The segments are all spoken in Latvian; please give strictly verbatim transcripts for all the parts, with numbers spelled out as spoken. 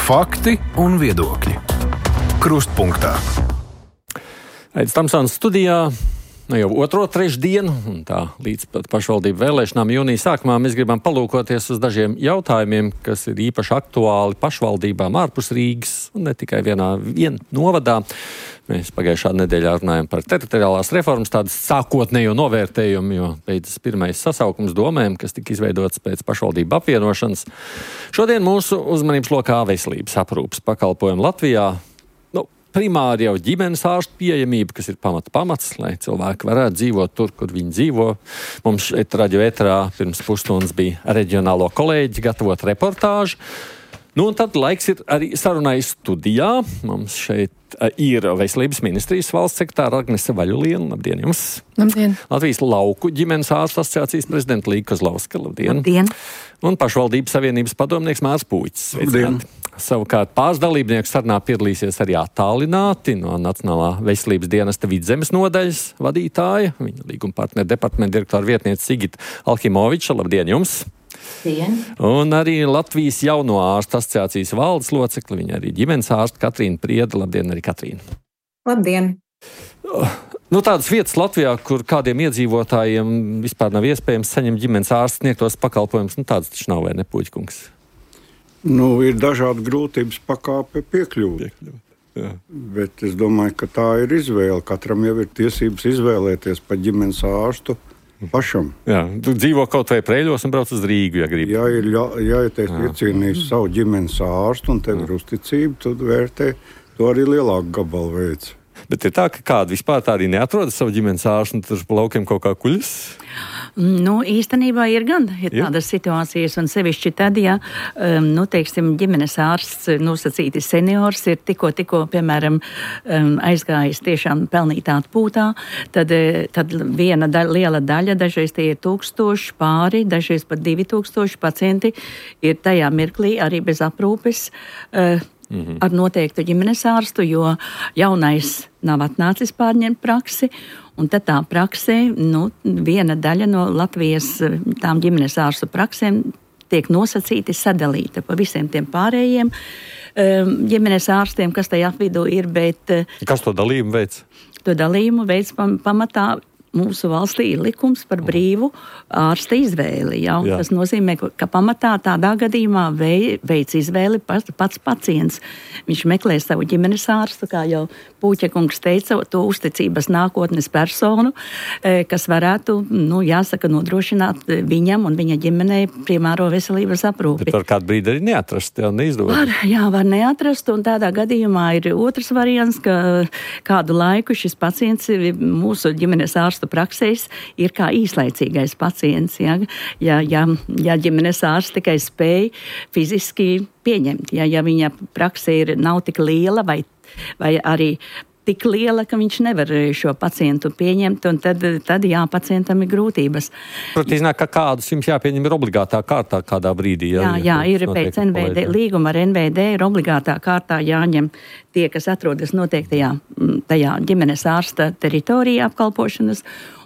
Fakti un viedokļi. Krustpunktā. Aidis Tamsons studijā. Nu jau otro trešdienu, un tā līdz pat pašvaldību vēlēšanām jūnija sākumā mēs gribam palūkoties uz dažiem jautājumiem, kas ir īpaši aktuāli pašvaldībām ārpus Rīgas, un ne tikai vienā vien novadā. Mēs pagājušā nedēļā runājam par teritoriālās reformas tādas sākotnējo novērtējumu, jo beidzas pirmais sasaukums domēm, kas tika izveidots pēc pašvaldību apvienošanas. Šodien mūsu uzmanības lokā veselības aprūpes pakalpojumu Latvijā. Primāri jau ģimenes ārstu pieejamība, kas ir pamata pamats, lai cilvēki varētu dzīvot tur, kur viņi dzīvo. Mums šeit radio ēterā pirms pusstundas bija reģionālo kolēģi gatavot reportāžu. Nu, un tad laiks ir arī sarunai studijā. Mums šeit ir Veselības ministrijas valsts sekretāra Agnese Vaļuliena. Labdien jums! Labdien! Latvijas lauku ģimenes ārstu asociācijas prezidenta Līga Kozlovska. Labdien! Labdien! Un pašvaldības savienības padomnieks Mārs Puicis. Labdien! Savukārt pāris dalībnieku sarunā piedalīsies arī attālināti no Nacionālā veselības dienesta Vidzemes nodaļas vadītāja, viņa līguma partneru departamenta direktora vietniece Sigita Alhimoviča. Labdien jums! Dien. Un arī Latvijas jauno ārstu asociācijas valdes locekli, viņa arī ģimenes ārsta Katrīna Prieda. Labdien, arī Katrīna! Labdien! Nu, tādas vietas Latvijā, kur kādiem iedzīvotājiem vispār nav iespējams saņemt ģimenes ārsta sniegtos pakalpojumus, nu tādas taču nav, vai ne, Puķkungs? Nu, ir dažādi grūtības pakāpe piekļūt. Jā. Bet es domāju, ka tā ir izvēle. Katram jau ir tiesības izvēlēties par ģimenes ārstu pašam. Jā, tu dzīvo kaut vai Preiļos un brauc uz Rīgu, ja gribi. Ja ir jāietiek iecienījis savu ģimenes ārstu un tev ir uzticība, tad vērtē to arī lielāku gabalu veids. Bet ir tā, ka kādi vispār tā arī neatrodas savu ģimenes ārstu un tur pa laukiem kaut kā kuļas? Nu, īstenībā ir gan ir tādas situācijas, un sevišķi tad, ja, um, nu, teiksim, ģimenes ārsts nosacīti seniors ir tikko, tikko, piemēram, um, aizgājis tiešām pelnītā atpūtā, tad, tad viena daļa, liela daļa, dažreiz tie ir tūkstoši pāri, dažreiz pat divi tūkstoši pacienti ir tajā mirklī arī bez aprūpes, uh, Mm-hmm. ar noteiktu ģimenes ārstu, jo jaunais nav atnācis pārņemt praksi, un tad tā praksē, nu, viena daļa no Latvijas tām ģimenes ārstu praksēm tiek nosacīti sadalīta pa visiem tiem pārējiem um, ģimenes ārstiem, kas tajā vidū ir, bet... Kas to dalījumu veids? To dalījumu veids pam, pamatā mūsu valstī ir likums par brīvu ārsta izvēli. Ja? Tas nozīmē, ka pamatā tādā gadījumā vei, veids izvēli pats, pats pacients. Viņš meklē savu ģimenes ārstu, kā jau Puķekungs teica, to uzticības nākotnes personu, kas varētu, nu, jāsaka, nodrošināt viņam un viņa ģimenei primāro veselības aprūpi. Bet var kādu brīdi arī neatrast, jā, neizdodas. Var, jā, var neatrast, un tādā gadījumā ir otrs variants, ka kādu laiku šis pacients mūsu ģimenes ārstu praksēs ir kā īslaicīgais pacients, ja, ja, ja, ja ģimenes ārsts tikai spēj fiziski pieņemt, ja, ja viņa praksē ir, nav tik liela vai, vai arī tik liela, ka viņš nevar šo pacientu pieņemt, un tad, tad jā, pacientam ir grūtības. Protams, iznāk, ka kādus jums jāpieņem ir obligātā kārtā kādā brīdī. Jā, jā, jā ir pēc N V D, līguma ar N V D ir obligātā kārtā jāņem tie, kas atrodas noteiktajā tajā ģimenes ārsta teritorijā apkalpošanas,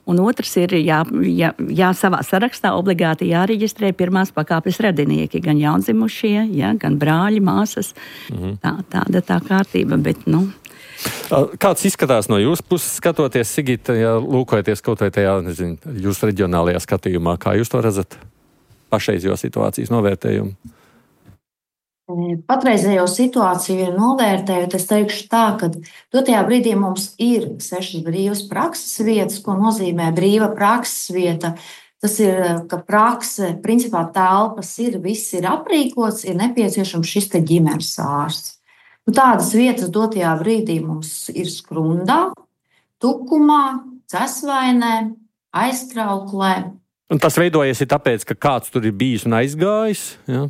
un otrs ir jā, jā, jā savā sarakstā obligāti jāreģistrē pirmās pakāpes radinieki, gan jaundzimušie, jā, gan brāļi, māsas. Mhm. Tā, tāda tā kārtība, bet, nu... Kāds izskatās no jūsu puses skatoties, Sigita, ja lūkojaties kaut vai tajā, nezinu, jūsu reģionālajā skatījumā, kā jūs to redzat pašreizējo situācijas novērtējumu? Patreizējo situāciju novērtējot, es teikšu tā, ka dotajā brīdī mums ir sešas brīvas prakses vietas, ko nozīmē brīva prakses vieta. Tas ir, ka prakse, principā telpas ir, viss ir aprīkots, ir nepieciešams šis te ģimenes ārsts. Nu, tādas vietas dotajā brīdī mums ir Skrundā, Tukumā, Cesvainē, Aizkrauklē. Un tas veidojies ir tāpēc, ka kāds tur ir bijis un aizgājis? Jā,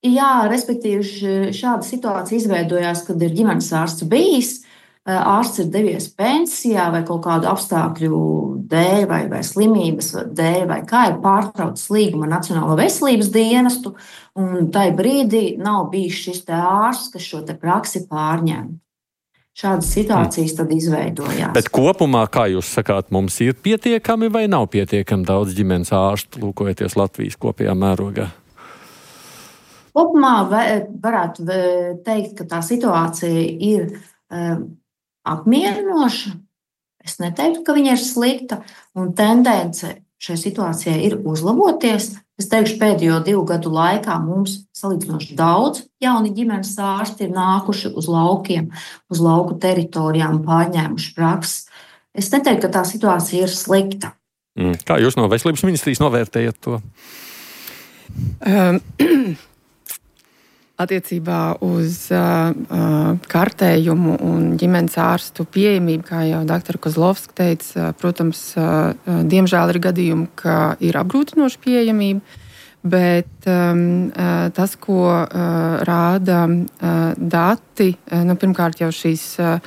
Jā respektīvi šāda situācija izveidojās, kad ir ģimenes ārsts bijis, ārsts ir devies pensijā vai kaut kādu apstākļu dēļ vai, vai slimības dēļ, vai kā ir pārtraucis līgumu ar Nacionālo veselības dienestu, un tai brīdī nav bijis šis te ārsts, kas šo te praksi pārņem. Šādas situācijas tad izveidojās. Bet kopumā, kā jūs sakāt, mums ir pietiekami vai nav pietiekami daudz ģimenes ārstu, lūkojoties Latvijas kopējā mērogā? Kopumā varētu teikt, ka tā situācija ir apmierinoša. Es neteiktu, ka viņa ir slikta, un tendence šai situācijai ir uzlaboties. Es teikšu, pēdējo divu gadu laikā mums salīdzinoši daudz jauni ģimenes ārsti ir nākuši uz laukiem, uz lauku teritorijām, pārņēmuši prakses. Es neteiktu, ka tā situācija ir slikta. Mm. Kā jūs no Veselības ministrijas novērtējat to? Um, Attiecībā uz uh, kartējumu un ģimenes ārstu pieejamību, kā jau doktora Kozlovska teica, protams, uh, diemžēl ir gadījumi, ka ir apgrūtinoša pieejamība, bet um, uh, tas, ko uh, rāda uh, dati, uh, nu, pirmkārt jau šīs uh,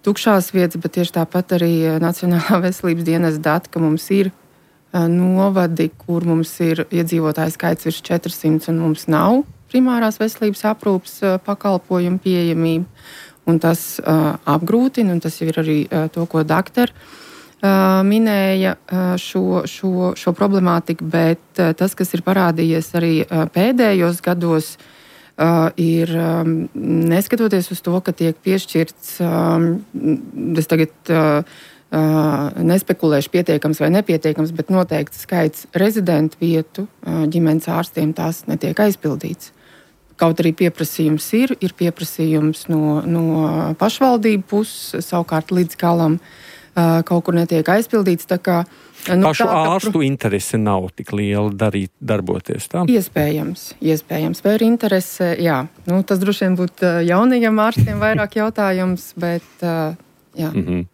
tukšās vietas, bet tieši tāpat arī Nacionālā veselības dienas dati, ka mums ir uh, novadi, kur mums ir iedzīvotāju skaits virs četrsimt un mums nav primārās veselības aprūpes pakalpojumu pieejamību, un tas uh, apgrūtina, un tas jau ir arī uh, to, ko doktori uh, minēja uh, šo, šo, šo problemātiku, bet uh, tas, kas ir parādījies arī uh, pēdējos gados, uh, ir um, neskatoties uz to, ka tiek piešķirts, um, es tagad uh, Uh, nespekulēšu pietiekams vai nepietiekams, bet noteikts skaits rezidentu vietu uh, ģimenes ārstiem tās netiek aizpildīts. Kaut arī pieprasījums ir, ir pieprasījums no, no pašvaldību puses, savukārt līdz galam uh, kaut kur netiek aizpildīts. Tā kā, nu, Pašu tā, ārstu ka, interese nav tik liela darīt, darboties tā? Iespējams, iespējams. Vai ir interese? Jā. Nu, tas droši vien būtu jaunajiem ārstiem vairāk jautājums, bet... Uh, Mm-hmm.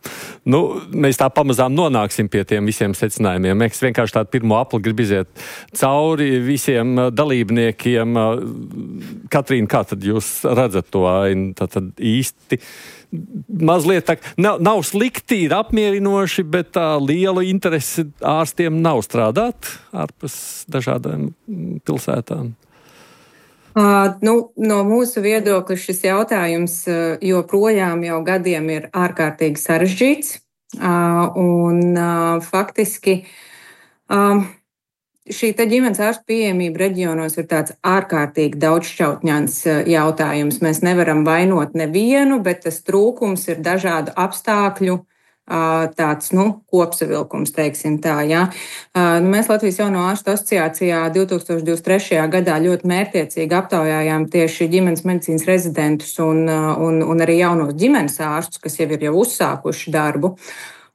Nu, mēs tā pamazām nonāksim pie tiem visiem secinājumiem. Es vienkārši tādu pirmo apli gribu iziet cauri visiem dalībniekiem. Katrīna, kā tad jūs redzat to ainu? Tad īsti mazliet tā, nav, nav slikti, ir apmierinoši, bet tā liela interese ārstiem nav strādāt ārpus dažādām pilsētām. Uh, nu, no mūsu viedokļa šis jautājums uh, joprojām jau gadiem ir ārkārtīgi sarežģīts. Uh, un uh, faktiski uh, šī ģimenes ārstu pieejamība reģionos ir tāds ārkārtīgi daudzšķautņains uh, jautājums. Mēs nevaram vainot nevienu, bet tas trūkums ir dažādu apstākļu tāds, nu, kopsavilkums, teiksim tā, jā. Mēs Latvijas Jauno ārstu asociācijā divtūkstoš divdesmit trešajā gadā ļoti mērķiecīgi aptaujājām tieši ģimenes medicīnas rezidentus un, un, un arī jaunos ģimenes ārstus, kas jau ir jau uzsākuši darbu.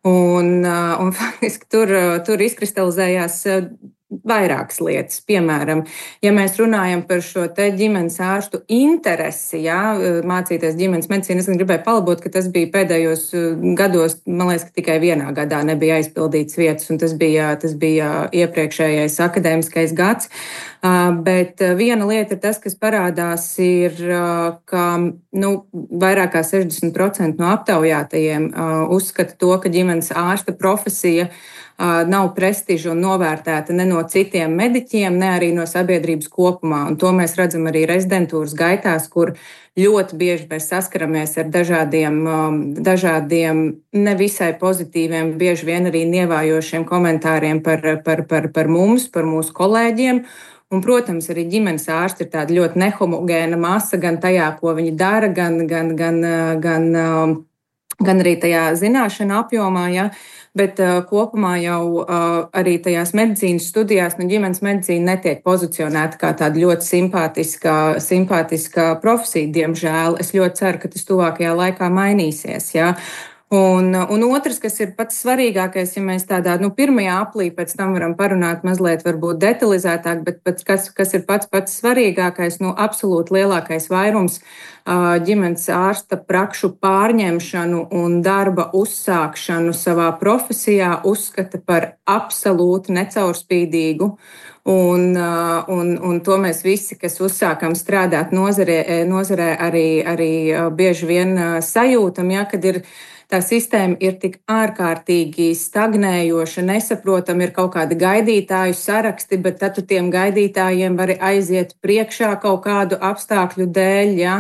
Un, un faktiski tur, tur izkristalizējās vairākas lietas. Piemēram, ja mēs runājam par šo te ģimenes ārstu interesi, jā, mācīties ģimenes medicīnu, es gribēju palabot, ka tas bija pēdējos gados, man liekas, ka tikai vienā gadā nebija aizpildīts vietas, un tas bija, tas bija iepriekšējais akadēmiskais gads. Bet viena lieta ir tas, kas parādās, ir, ka nu, vairāk kā sešdesmit procenti no aptaujātajiem uzskata to, ka ģimenes ārsta profesija nav prestiža un novērtēta ne no citiem mediķiem, ne arī no sabiedrības kopumā. Un to mēs redzam arī rezidentūras gaitās, kur ļoti bieži mēs saskaramies ar dažādiem, dažādiem nevisai pozitīviem, bieži vien arī nievājošiem komentāriem par, par, par, par mums, par mūsu kolēģiem. Un, protams, arī ģimenes ārsti ir tāda ļoti nehomogēna masa gan tajā, ko viņi dara, gan, gan, gan, gan, gan arī tajā zināšana apjomā, ja? Bet uh, kopumā jau uh, arī tajās medicīnas studijās nu, ģimenes medicīna netiek pozicionēta kā tāda ļoti simpātiska, simpātiska profesija, diemžēl. Es ļoti ceru, ka tas tuvākajā laikā mainīsies, ja? Un, un otrs, kas ir pats svarīgākais, ja mēs tādā nu, pirmajā aplī pēc tam varam parunāt mazliet varbūt detalizētāk, bet pats, kas, kas ir pats pats svarīgākais, nu, absolūti lielākais vairums uh, ģimenes ārsta prakšu pārņemšanu un darba uzsākšanu savā profesijā uzskata par absolūti necaurspīdīgu. Un, uh, un, un to mēs visi, kas uzsākam strādāt nozarē, nozarē arī, arī uh, bieži vien uh, sajūtam, ja, kad ir tā sistēma ir tik ārkārtīgi stagnējoša, nesaprotama, ir kaut kādi gaidītāju saraksti, bet tad tu tiem gaidītājiem vari aiziet priekšā kaut kādu apstākļu dēļ. Ja?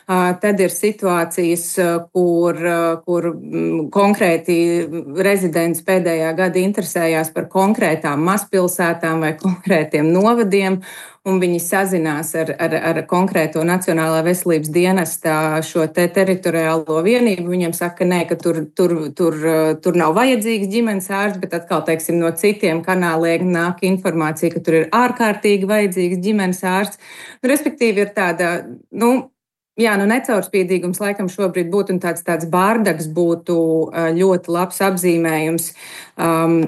Tad ir situācijas, kur, kur konkrēti rezidents pēdējā gada interesējās par konkrētām mazpilsētām vai konkrētiem novadiem. un viņi sazinās ar, ar, ar konkrēto Nacionālā veselības dienesta šo te teritoriālo vienību. Viņiem saka, nē, ka tur, tur, tur, tur nav vajadzīgs ģimenes ārsts, bet atkal, teiksim, no citiem kanāliem nāk informācija, ka tur ir ārkārtīgi vajadzīgs ģimenes ārsts. Nu, respektīvi ir tāda, nu, jā, nu necaurspīdīgums laikam šobrīd būtu un tāds, tāds bārdaks būtu ļoti labs apzīmējums um,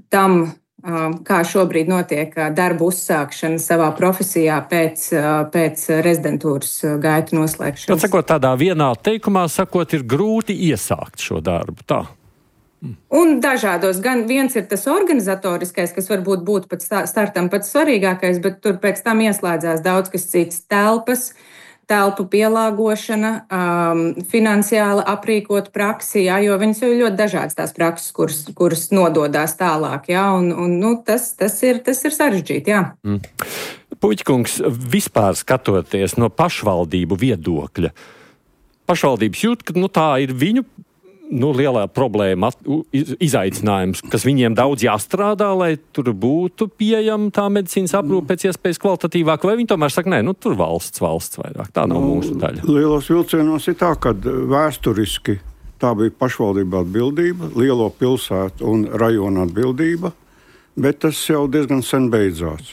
tam, um, kā šobrīd notiek darba uzsākšana savā profesijā pēc, pēc rezidentūras gaitu noslēgšanas. Tad, sakot, tādā vienā teikumā, sakot, ir grūti iesākt šo darbu, tā? Un dažādos, gan viens ir tas organizatoriskais, kas varbūt būtu pēc startam pats svarīgākais, bet tur pēc tam ieslēdzās daudz kas cits telpas, telpu pielāgošana, um, finansiāli aprīkot praksi, jā, jo viņas jau ir ļoti dažādas tās prakses, kuras, kuras nododās tālāk, jā, un, un nu, tas, tas, ir, tas ir sarežģīti, jā. Mm. Puķkungs, vispār skatoties no pašvaldību viedokļa, pašvaldības jūt, ka nu, tā ir viņu nu, lielā problēma, izaicinājums, kas viņiem daudz jāstrādā, lai tur būtu pieejama tā medicīnas aprūpe pēc iespējas kvalitatīvāk, vai viņi tomēr saka, nē, nu tur valsts, valsts vairāk, tā nav nu, mūsu daļa. Lielos vilcienos ir tā, ka vēsturiski tā bija pašvaldība atbildība, lielo pilsētu un rajonu atbildība, bet tas jau diezgan sen beidzās.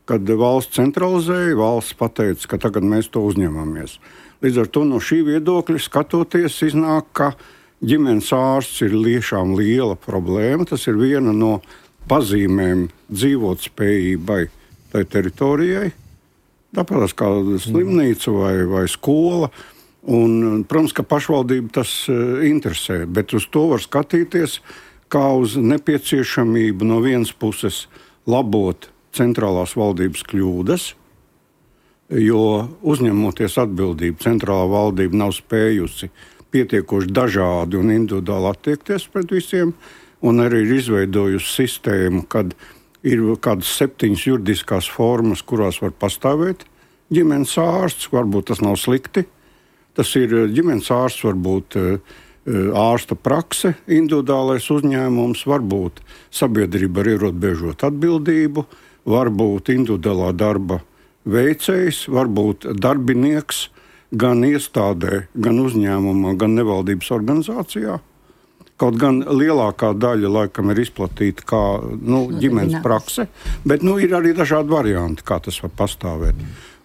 Kad valsts centralizēja, valsts pateica, ka tagad mēs to uzņemamies. Līdz ar to no šī viedokļa skatoties iznāk, ka ģimenes ārsts ir tiešām liela problēma. Tas ir viena no pazīmēm dzīvotspējībai tai teritorijai. Tāpat kā slimnīca vai, vai skola. Un, protams, ka pašvaldība tas interesē, bet uz to var skatīties kā uz nepieciešamību no vienas puses labot centrālās valdības kļūdas, jo uzņemoties atbildību, centrālā valdība nav spējusi pietiekoši dažādi un individuāli attiekties pret visiem, un arī ir izveidojusi sistēmu, kad ir kādas septiņas juridiskās formas, kurās var pastāvēt ģimenes ārsts. Varbūt tas nav slikti. Tas ir ģimenes ārsts, varbūt ārsta prakse, individuālais uzņēmums, varbūt sabiedrība ar ierobežotu atbildību, varbūt individuālā darba veicējs, varbūt darbinieks, gan iestādē, gan uzņēmumā, gan nevaldības organizācijā. Kaut gan lielākā daļa laikam ir izplatīta kā nu, ģimenes prakse, bet nu, ir arī dažādi varianti, kā tas var pastāvēt.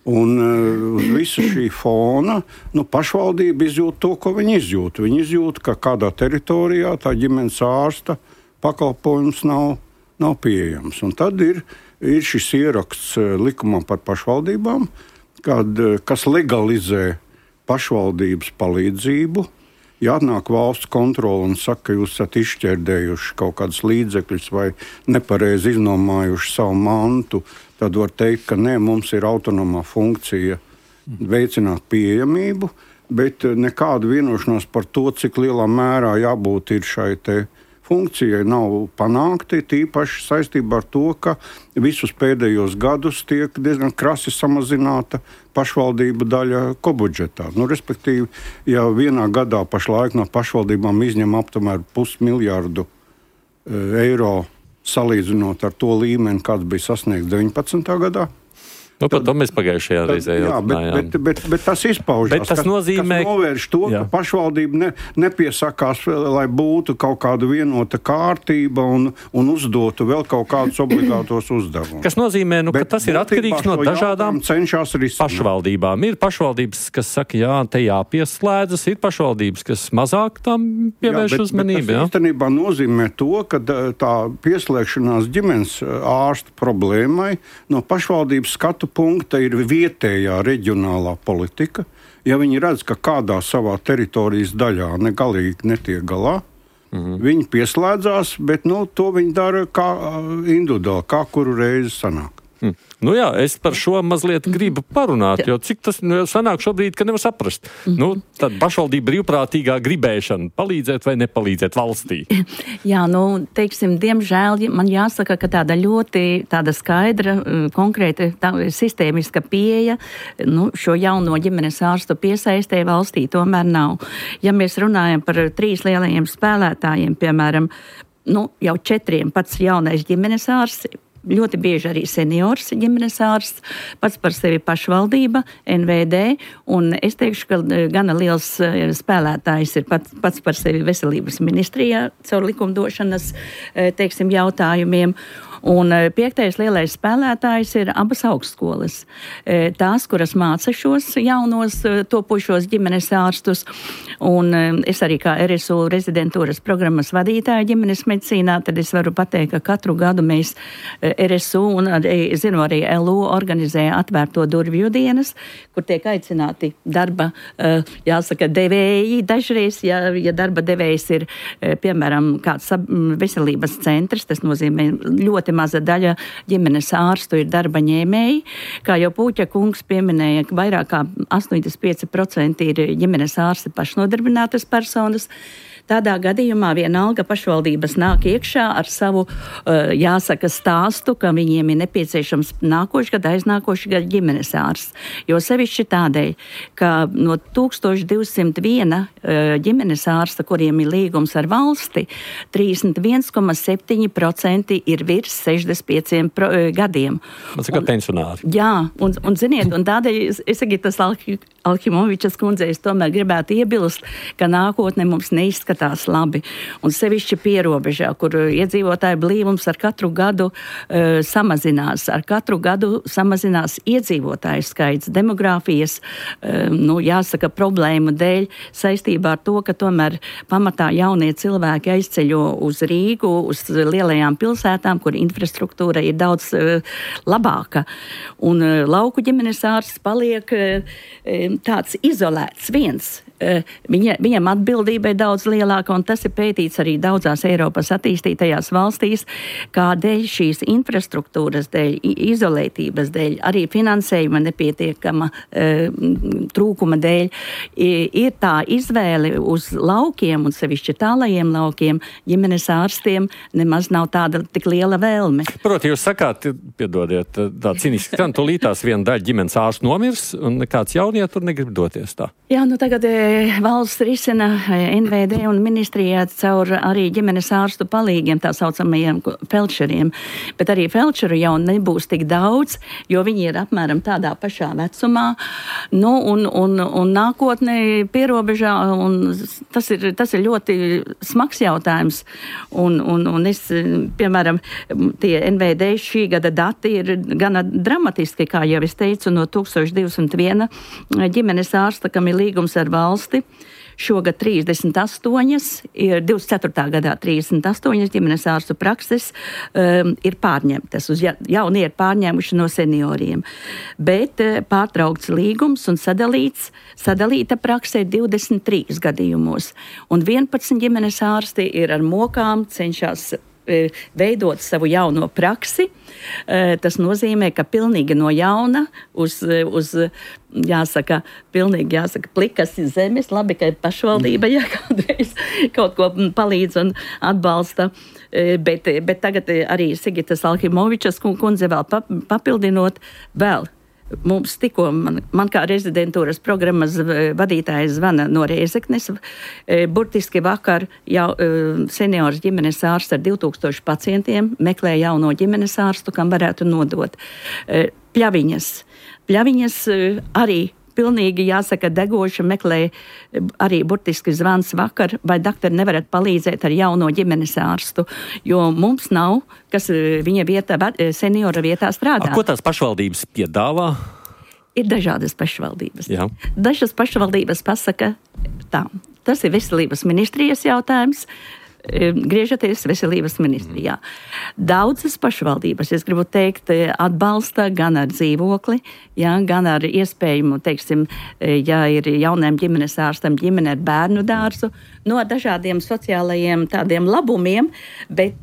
Un uz uh, visu šī fona nu, pašvaldība izjūt to, ko viņi izjūt. Viņi izjūt, ka kādā teritorijā tā ģimenes ārsta pakalpojums nav, nav pieejams. Un tad ir, ir šis ieraksts likumā par pašvaldībām, kad, kas legalizē pašvaldības palīdzību. Ja atnāk valsts kontrole un saka, ka jūs esat izšķērdējuši kaut kādus līdzekļus vai nepareizi iznomājuši savu mantu, tad var teikt, ka nē, mums ir autonomā funkcija veicināt pieejamību, bet nekāda vienošanās par to, cik lielā mērā jābūt ir šai te funkcijai nav panākti, tīpaši saistībā ar to, ka visus pēdējos gadus tiek diezgan krasi samazināta pašvaldību daļa kobudžetā. Nu, respektīvi, ja vienā gadā pašlaik no pašvaldībām izņem aptuveni pusmiljārdu eiro salīdzinot ar to līmeni, kāds bija sasniegts deviņpadsmitajā gadā, Nu, par to mēs pagājušajā reizē jau runājām. Bet, bet, bet, bet tas izpaužas, bet tas kas, nozīmē, kas novērš to, jā. ka pašvaldība ne, nepiesakās, lai būtu kaut kāda vienota kārtība un, un uzdotu vēl kaut kādus obligātos uzdevumus. Kas nozīmē, nu, ka tas ir atkarīgs no dažādām pašvaldībām. Ir pašvaldības, kas saka, jā, te jāpieslēdzas, ir pašvaldības, kas mazāk tam pievērš jā, bet, uzmanību. Bet tas īstenībā nozīmē to, ka tā pieslēgšanās ģimenes ārsta problēmai no pašvaldības skatu punkta ir vietējā reģionālā politika. Ja viņi redz, ka kādā savā teritorijas daļā negalīgi netiek galā, mm-hmm. viņi pieslēdzās, bet nu, to viņi dara kā individuāli, kā kuru reizi sanāk. Hmm. Nu jā, es par šo mazliet gribu parunāt, jo cik tas nu, sanāk šobrīd, ka nevar saprast. Mm-hmm. Nu, tad pašvaldība brīvprātīgā gribēšana palīdzēt vai nepalīdzēt valstī. Jā, nu, teiksim, diemžēl man jāsaka, ka tāda ļoti tāda skaidra, konkrēta tā, sistēmiska pieeja nu, šo jauno ģimenes ārstu piesaistē valstī tomēr nav. Ja mēs runājam par trīs lielajiem spēlētājiem, piemēram, nu, jau četriem pats jaunais ģimenes ārsts, ļoti bieži arī seniors ģimenes ārsts, pats par sevi pašvaldība, N V D, un es teikšu, ka gana liels spēlētājs ir pats, pats par sevi veselības ministrijā caur likumdošanas, teiksim, jautājumiem. Un piektais lielais spēlētājs ir abas augstskolas. Tās, kuras māca šos jaunos topošos ģimenes ārstus. Un es arī kā R S U rezidentūras programmas vadītāja ģimenes medicīnā, tad es varu pateikt, ka katru gadu mēs R S U un arī, zinu, arī L U organizē atvērto durvju dienas, kur tiek aicināti darba, jāsaka, devēji dažreiz, ja, ja darba devējs ir, piemēram, kāds veselības centrs, tas nozīmē ļoti maza daļa ģimenes ārstu ir darba ņēmēji. Kā jau Pūķa kungs pieminēja, ka vairāk kā astoņdesmit pieci procenti ir ģimenes ārsti pašnodarbinātas personas. Tādā gadījumā vienalga pašvaldības nāk iekšā ar savu, jāsaka, stāstu, ka viņiem ir nepieciešams nākošu gadu, aiznākošu gadu ģimenes ārsts. Jo sevišķi tādēļ, ka no tūkstoš divsimt viena ģimenes ārsta, kuriem ir līgums ar valsti, trīsdesmit viens komats septiņi procenti ir virs sešdesmit pieciem gadiem. Tas ir kā pensionāri. Jā, un, un ziniet, un tādēļ es, es Gitas Alhimovičas kundzei es tomēr gribētu iebilst, ka nākotne mums neizskatās tās labi, un sevišķi pierobežā, kur iedzīvotāju blīvums ar katru gadu uh, samazinās, ar katru gadu samazinās iedzīvotāju skaits, demogrāfijas, uh, nu, jāsaka, problēmu dēļ, saistībā ar to, ka tomēr pamatā jaunie cilvēki aizceļo uz Rīgu, uz lielajām pilsētām, kur infrastruktūra ir daudz uh, labāka, un uh, lauku ģimenes ārsts paliek uh, tāds izolēts viens. Viņa, viņam atbildība ir daudz lielāka, un tas ir pētīts arī daudzās Eiropas attīstītajās valstīs, kādēļ šīs infrastruktūras dēļ, izolētības dēļ, arī finansējuma nepietiekama e, trūkuma dēļ, ir tā izvēle uz laukiem, un sevišķi tālajiem laukiem, ģimenes ārstiem nemaz nav tāda tik liela vēlme. Proti, jūs sakāt, piedodiet, tā cīniski, ka tūlītās viena daļa ģimenes ārstu nomirs, un nekāds jaunie tur negrib doties tā. Jā, nu tagad valsts risina N V D un ministrijā caur arī ģimenes ārstu palīgiem, tā saucamajiem felčeriem. Bet arī felčeru jau nebūs tik daudz, jo viņi ir apmēram tādā pašā vecumā. Nu, un, un, un nākotnē pierobežā, un tas ir, tas ir ļoti smags jautājums. Un, un, un es, piemēram, tie N V D šī gada dati ir gana dramatiski, kā jau es teicu, no tūkstoš divsimt viena ģimenes ārsta, kam ir līgums ar valsti. Šogad trīsdesmit astoņas, ir divdesmit ceturtā gadā trīsdesmit astoņas ģimenes ārstu prakses um, ir pārņemtas, uz ja, jaunie ir pārņēmuši no senioriem. Bet uh, pārtraukts līgums un sadalīts, sadalīta praksē divdesmit trīs gadījumos. Un vienpadsmit ģimenes ārsti ir ar mokām cenšas veidot savu jauno praksi. Tas nozīmē, ka pilnīgi no jauna uz, uz jāsaka, pilnīgi jāsaka, plikas zemes, labi, ka pašvaldība jā, kādreiz kaut ko palīdz un atbalsta, bet, bet tagad arī Sigitas Alhimovičas kundze vēl papildinot vēl. Mums tikko, man, man kā rezidentūras programmas vadītājs zvana no Rēzeknes, burtiski vakar jau seniors ģimenes ārsts ar divtūkstošu pacientiem meklē jauno ģimenes ārstu, kam varētu nodot. Pļaviņas. Pļaviņas arī pilnīgi, jāsaka, degoši meklē arī burtiski zvans vakar, vai doktori nevarat palīdzēt ar jauno ģimenes ārstu, jo mums nav, kas viņa vietā, seniora vietā strādā. A, ko tās pašvaldības piedāvā? Ir dažādas pašvaldības. Jā. Dažas pašvaldības pasaka tā. Tas ir veselības ministrijas jautājums. Griežaties veselības ministrijā. Daudzas pašvaldības, es gribu teikt, atbalsta gan ar dzīvokli, ja, gan ar iespējumu, teiksim, ja ir jauniem ģimenes ārstam ģimene ar bērnu dārzu, no dažādiem sociālajiem tādiem labumiem, bet,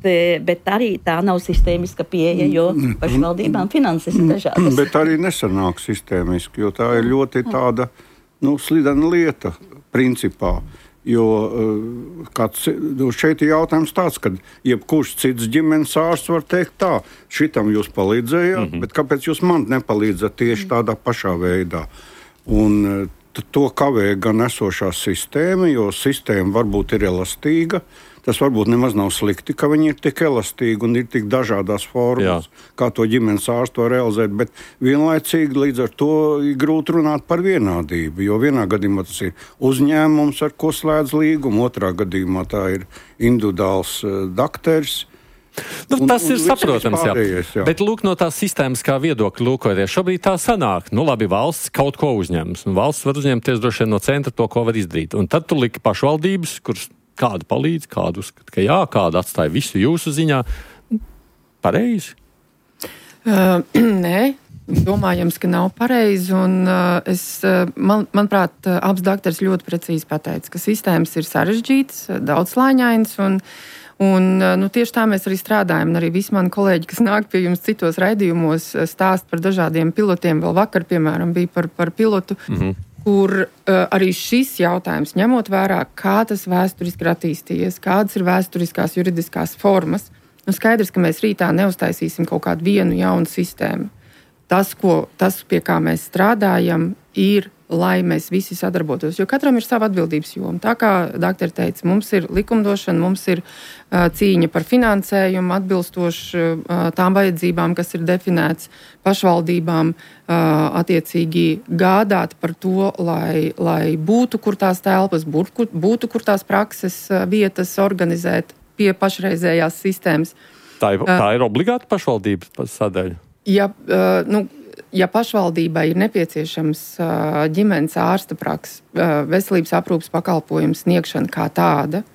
bet arī tā nav sistēmiska pieeja, jo pašvaldībām finanses ir dažādas. Bet arī nesanāk sistēmiski, jo tā ir ļoti tāda, nu, slidena lieta, principā. Jo kāds, šeit ir jautājums tāds, ka jebkurš cits ģimenes ārsts var teikt tā, šitam jūs palīdzējāt, mm-hmm. bet kāpēc jūs man nepalīdzat tieši tādā pašā veidā? Un to kavē gan esošā sistēma, jo sistēma varbūt ir elastīga, tas varbūt nemaz nav slikti, ka viņi ir tik elastīgi un ir tik dažādās formās, Jā. kā to ģimenes ārsts to realizēt, bet vienlaicīgi līdz ar to ir grūti runāt par vienādību, jo vienā gadījumā tas ir uzņēmums, ar ko slēdz līgumu, otrā gadījumā tā ir individuāls uh, dakteris. Nu, un, tas un ir saprotams, jā. jā. Bet lūk, no tās sistēmas kā viedokļa lūkoties, šobrīd tā sanāk. Nu, labi, valsts kaut ko uzņems. Un valsts var uzņemties droši vien no centra to, ko var izdarīt. Un tad tu liki pašvaldības, kuras kādu palīdz, kādu uzskata, ka jā, kādu atstāja visu jūsu ziņā. Pareizi? Uh, nē. Domājams, ka nav pareizi. Un, uh, es, uh, man, manuprāt, uh, abs dakteris ļoti precīzi pateica, ka sistēmas ir sarežģītas, daudzslāņainas. Un, un, uh, nu, tieši tā mēs arī strādājam. Un arī visi mani kolēģi, kas nāk pie jums citos raidījumos, stāst par dažādiem pilotiem. Vēl vakar, piemēram, bija par, par pilotu, mm-hmm. kur uh, arī šis jautājums, ņemot vērā, kā tas vēsturiski ir attīstījies, kādas ir vēsturiskās juridiskās formas, nu, skaidrs, ka mēs rītā neuztaisīsim kaut kādu vienu jaunu sistēmu. Tas, ko, tas, pie kā mēs strādājam, ir, lai mēs visi sadarbotos. Jo katram ir sava atbildības joma. Tā kā doktori teica, mums ir likumdošana, mums ir uh, cīņa par finansējumu, atbilstoši uh, tām vajadzībām, kas ir definēts pašvaldībām, uh, attiecīgi gādāt par to, lai, lai būtu, kur tās telpas, būtu, būtu, kur tās prakses uh, vietas organizēt pie pašreizējās sistēmas. Tā ir, tā ir obligāta pašvaldības sadaļa? Ja, nu, ja pašvaldībai ir nepieciešams ģimenes ārsta prakses, veselības aprūpes pakalpojums sniegšana kā tāda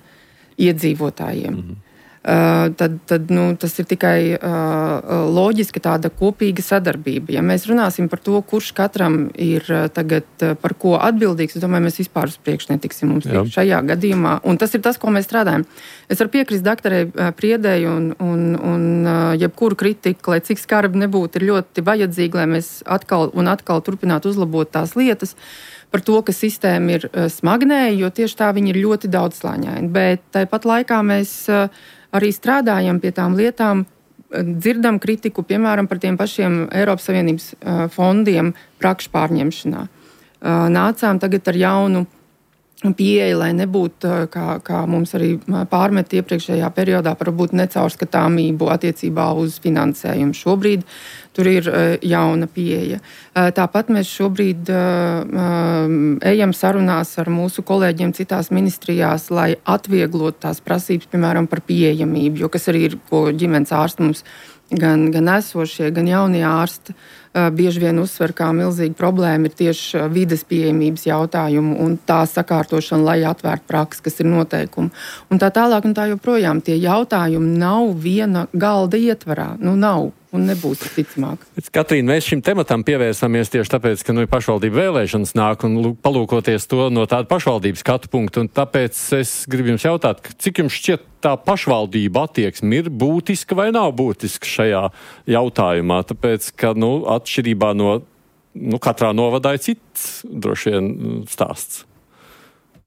iedzīvotājiem, mm-hmm. tad, tad nu, tas ir tikai loģiska tāda kopīga sadarbība. Ja mēs runāsim par to, kurš katram ir tagad par ko atbildīgs, es domāju, mēs vispār uz priekšu netiksim mums šajā gadījumā. Un tas ir tas, ko mēs strādājam. Es varu piekrist doktorei Priedei un, un, un jebkuru kritiku, lai cik skarbi nebūtu, ir ļoti vajadzīgi, lai mēs atkal un atkal turpinātu uzlabot tās lietas par to, ka sistēma ir smagnēja, jo tieši tā viņi ir ļoti daudzslāņaini. Bet tāpat laikā mēs arī strādājam pie tām lietām, dzirdam kritiku, piemēram, par tiem pašiem Eiropas Savienības fondiem prakšu pārņemšanā. Nācām tagad ar jaunu pieeja, lai nebūtu, kā, kā mums arī pārmet iepriekšējā periodā, par būt necaurskatāmību attiecībā uz finansējumu. Šobrīd tur ir jauna pieeja. Tāpat mēs šobrīd ejam sarunās ar mūsu kolēģiem citās ministrijās, lai atvieglotu tās prasības, piemēram, par pieejamību, jo kas arī ir, ko ģimenes ārsti mums gan, gan esošie, gan jaunie ārsti bieži vien uzsver, kā milzīga problēma ir tieši vides pieejamības jautājumu un tā sakārtošana, lai atvērtu praksi, kas ir noteikumi. Un tā tālāk un tā joprojām tie jautājumi nav viena galda ietvarā. Nu, nav. Un nebūs ticamāk. Katrīna, mēs šim tematam pievērsāmies tieši tāpēc, ka nu, pašvaldību vēlēšanas nāk un palūkoties to no tāda pašvaldības skatu punkta. Un tāpēc es gribu jums jautāt, cik jums šķiet tā pašvaldība attieksme ir būtiska vai nav būtiska šajā jautājumā? Tāpēc, ka nu, atšķirībā no nu, katrā novadā ir cits droši vien stāsts.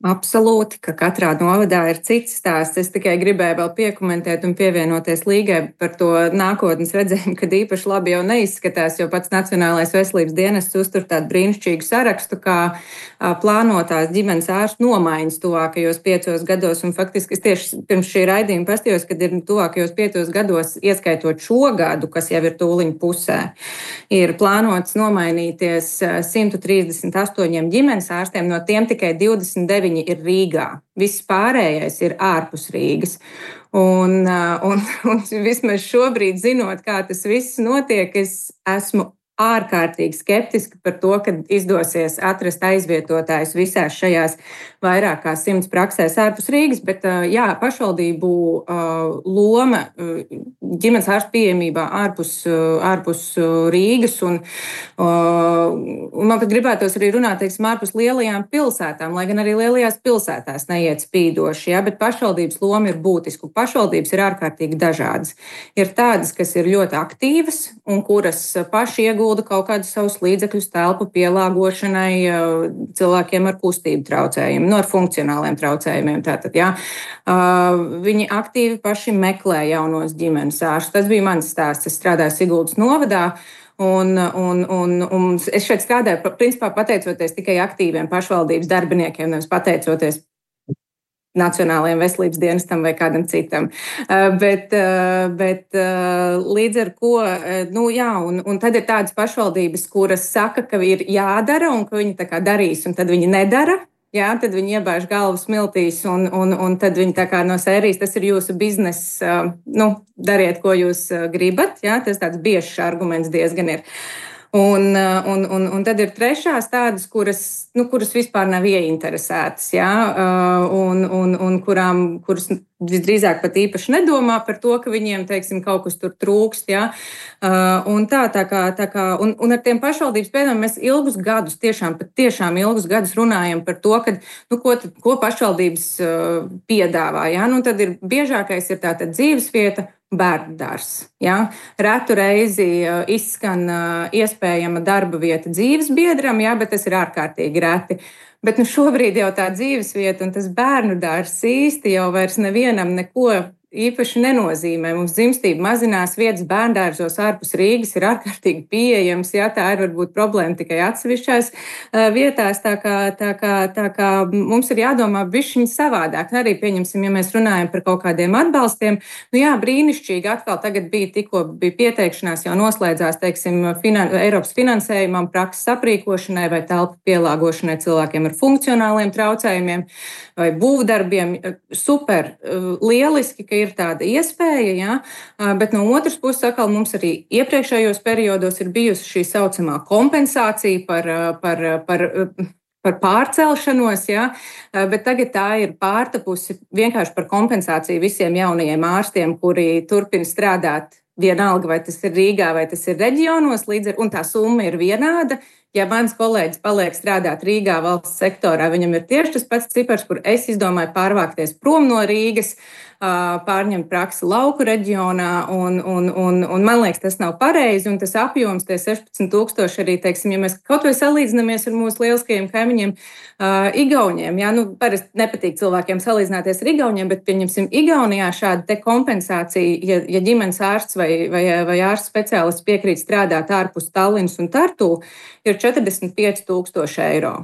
Absolūti, ka katrā novadā ir cits stāsts. Es tikai gribēju vēl piekomentēt un pievienoties Līgai par to nākotnes redzējumu, kad īpaši labi jau neizskatās, jo pats Nacionālais veselības dienests uztur tādu brīnišķīgu sarakstu, kā plānotās ģimenes ārstu nomaiņas tuvākajos piecos gados. Un faktiski es tieši pirms šī raidījuma pastījos, kad ir tuvākajos piecos gados, ieskaitot šo gadu, kas jau ir tūliņ pusē, ir plānots nomainīties simt trīsdesmit astoņiem ģimenes ārstiem, no tiem tikai divdesmit deviņi ir Rīgā. Viss pārējais ir ārpus Rīgas. Un, un, un vismaz šobrīd, zinot, kā tas viss notiek, es esmu ārkārtīgi skeptiski par to, ka izdosies atrast aizvietotājus visās šajās vairāk kā simts praksēs ārpus Rīgas, bet jā, pašvaldību loma ģimenes ārstu pieejamībā ārpus, ārpus Rīgas un, un man pat gribētos arī runāt, teiksim, ārpus lielajām pilsētām, lai gan arī lielajās pilsētās neiet spīdoši, jā, bet pašvaldības loma ir būtiska. Pašvaldības ir ārkārtīgi dažādas. Ir tādas, kas ir ļoti aktīvas un kuras paši iegūst kaut kādus savus līdzekļus telpu pielāgošanai cilvēkiem ar kustību traucējumiem, no ar funkcionāliem traucējumiem. Tātad, jā. Viņi aktīvi paši meklē jaunos ģimenes ārstus. Tas bija mans stāsts. Es strādāju Siguldas novadā. Un, un, un, un es šeit strādāju, principā pateicoties tikai aktīviem pašvaldības darbiniekiem, nevis pateicoties Nacionālajiem veselības dienestam vai kādam citam. Uh, bet, uh, bet uh, līdz ar ko, uh, nu jā, un, un tad ir tādas pašvaldības, kuras saka, ka ir jādara un ka viņi tā kā darīs, un tad viņi nedara. Jā, tad viņi iebāž galvu smiltīs, un, un, un tad viņi tā kā no sērijas, tas ir jūsu bizness, uh, nu, dariet, ko jūs uh, gribat. Jā, tas tāds biežs arguments diezgan ir. Un, un, un, un tad ir trešās tādas, kuras, nu, kuras vispār nav ieinteresētas, jā, un, un, un kurām, kuras visdrīzāk pat īpaši nedomā par to, ka viņiem, teiksim, kaut kas tur trūkst, jā. Un tā, tā kā, tā kā, un, un ar tiem pašvaldības pēdām mēs ilgus gadus, tiešām, pat tiešām ilgus gadus runājam par to, ka, nu, ko, tad, ko pašvaldības piedāvā, jā. Nu, tad ir biežākais ir tātad dzīvesvieta, bērnu dārzs. Ja? Retu reizi izskan iespējama darba vieta dzīvesbiedram, ja? Bet tas ir ārkārtīgi reti. Bet nu, šobrīd jau tā dzīvesvieta un tas bērnu dārzs īsti jau vairs nevienam neko īpaši nenozīmē. Mums dzimstība mazinās, vietas bērndārzos ārpus Rīgas ir ārkārtīgi pieejams. Jā, tā ir varbūt problēma tikai atsevišķās uh, vietās, tā kā, tā, kā, tā kā mums ir jādomā bišķiņ savādāk. Arī pieņemsim, ja mēs runājam par kaut kādiem atbalstiem, nu jā, brīnišķīgi atkal tagad bija tikko bija pieteikšanās, jau noslēdzās, teiksim, finan, Eiropas finansējumam, prakses aprīkošanai vai telpu pielāgošanai cilvēkiem ar funkcionāliem traucējumiem vai būvdarbiem. Super, uh, lieliski, ka ir tāda iespēja, ja? Bet no otras puses, atkal mums arī iepriekšējos periodos ir bijusi šī saucamā kompensācija par, par, par, par pārcelšanos, ja? Bet tagad tā ir pārtapusi vienkārši par kompensāciju visiem jaunajiem ārstiem, kuri turpina strādāt vienalga, vai tas ir Rīgā, vai tas ir reģionos, līdz ar, un tā summa ir vienāda. Ja mans kolēģis paliek strādāt Rīgā valsts sektorā, viņam ir tieši tas pats cipars, kur es izdomāju pārvākties prom no Rīgas, pārņemt praksi lauku reģionā, un, un, un, un man liekas, tas nav pareizi, un tas apjoms, tie sešpadsmit tūkstoši arī, teiksim, ja mēs kaut vai salīdzinamies ar mūsu lieliskajiem kaimiņiem, uh, Igauņiem, jā, nu, parasti nepatīk cilvēkiem salīdzināties ar Igauņiem, bet, pieņemsim, Igaunijā šāda te kompensācija, ja, ja ģimenes ārsts vai, vai, vai ārsts speciālists piekrīt strādāt ārpus Tallinas un Tartu, ir četrdesmit pieci tūkstoši eiro.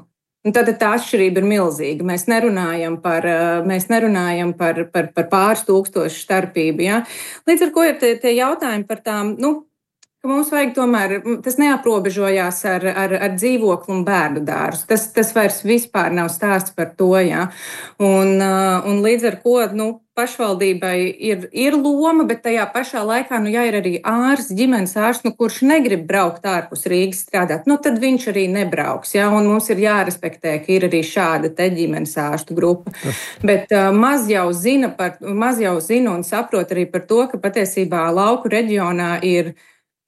Un tad tā atšķirība ir milzīga. Mēs nerunājam par, mēs nerunājam par, par, par pāris tūkstošu starpību. Ja? Līdz ar ko ir tie, tie jautājumi par tām, nu, ka mums vajag tomēr, tas neaprobežojās ar, ar, ar dzīvokli un bērnu dārzu. Tas, tas vairs vispār nav stāsts par to. Ja? Un, un līdz ar ko, nu, pašvaldībai ir, ir loma, bet tajā pašā laikā, nu, ja ir arī ārsts, ģimenes ārsts, nu, kurš negrib braukt ārpus Rīgas strādāt, nu, tad viņš arī nebrauks, ja, un mums ir jārespektē, ka ir arī šāda te ģimenes ārstu grupa. Bet uh, maz jau zina par, maz jau zina un saprot arī par to, ka patiesībā lauku reģionā ir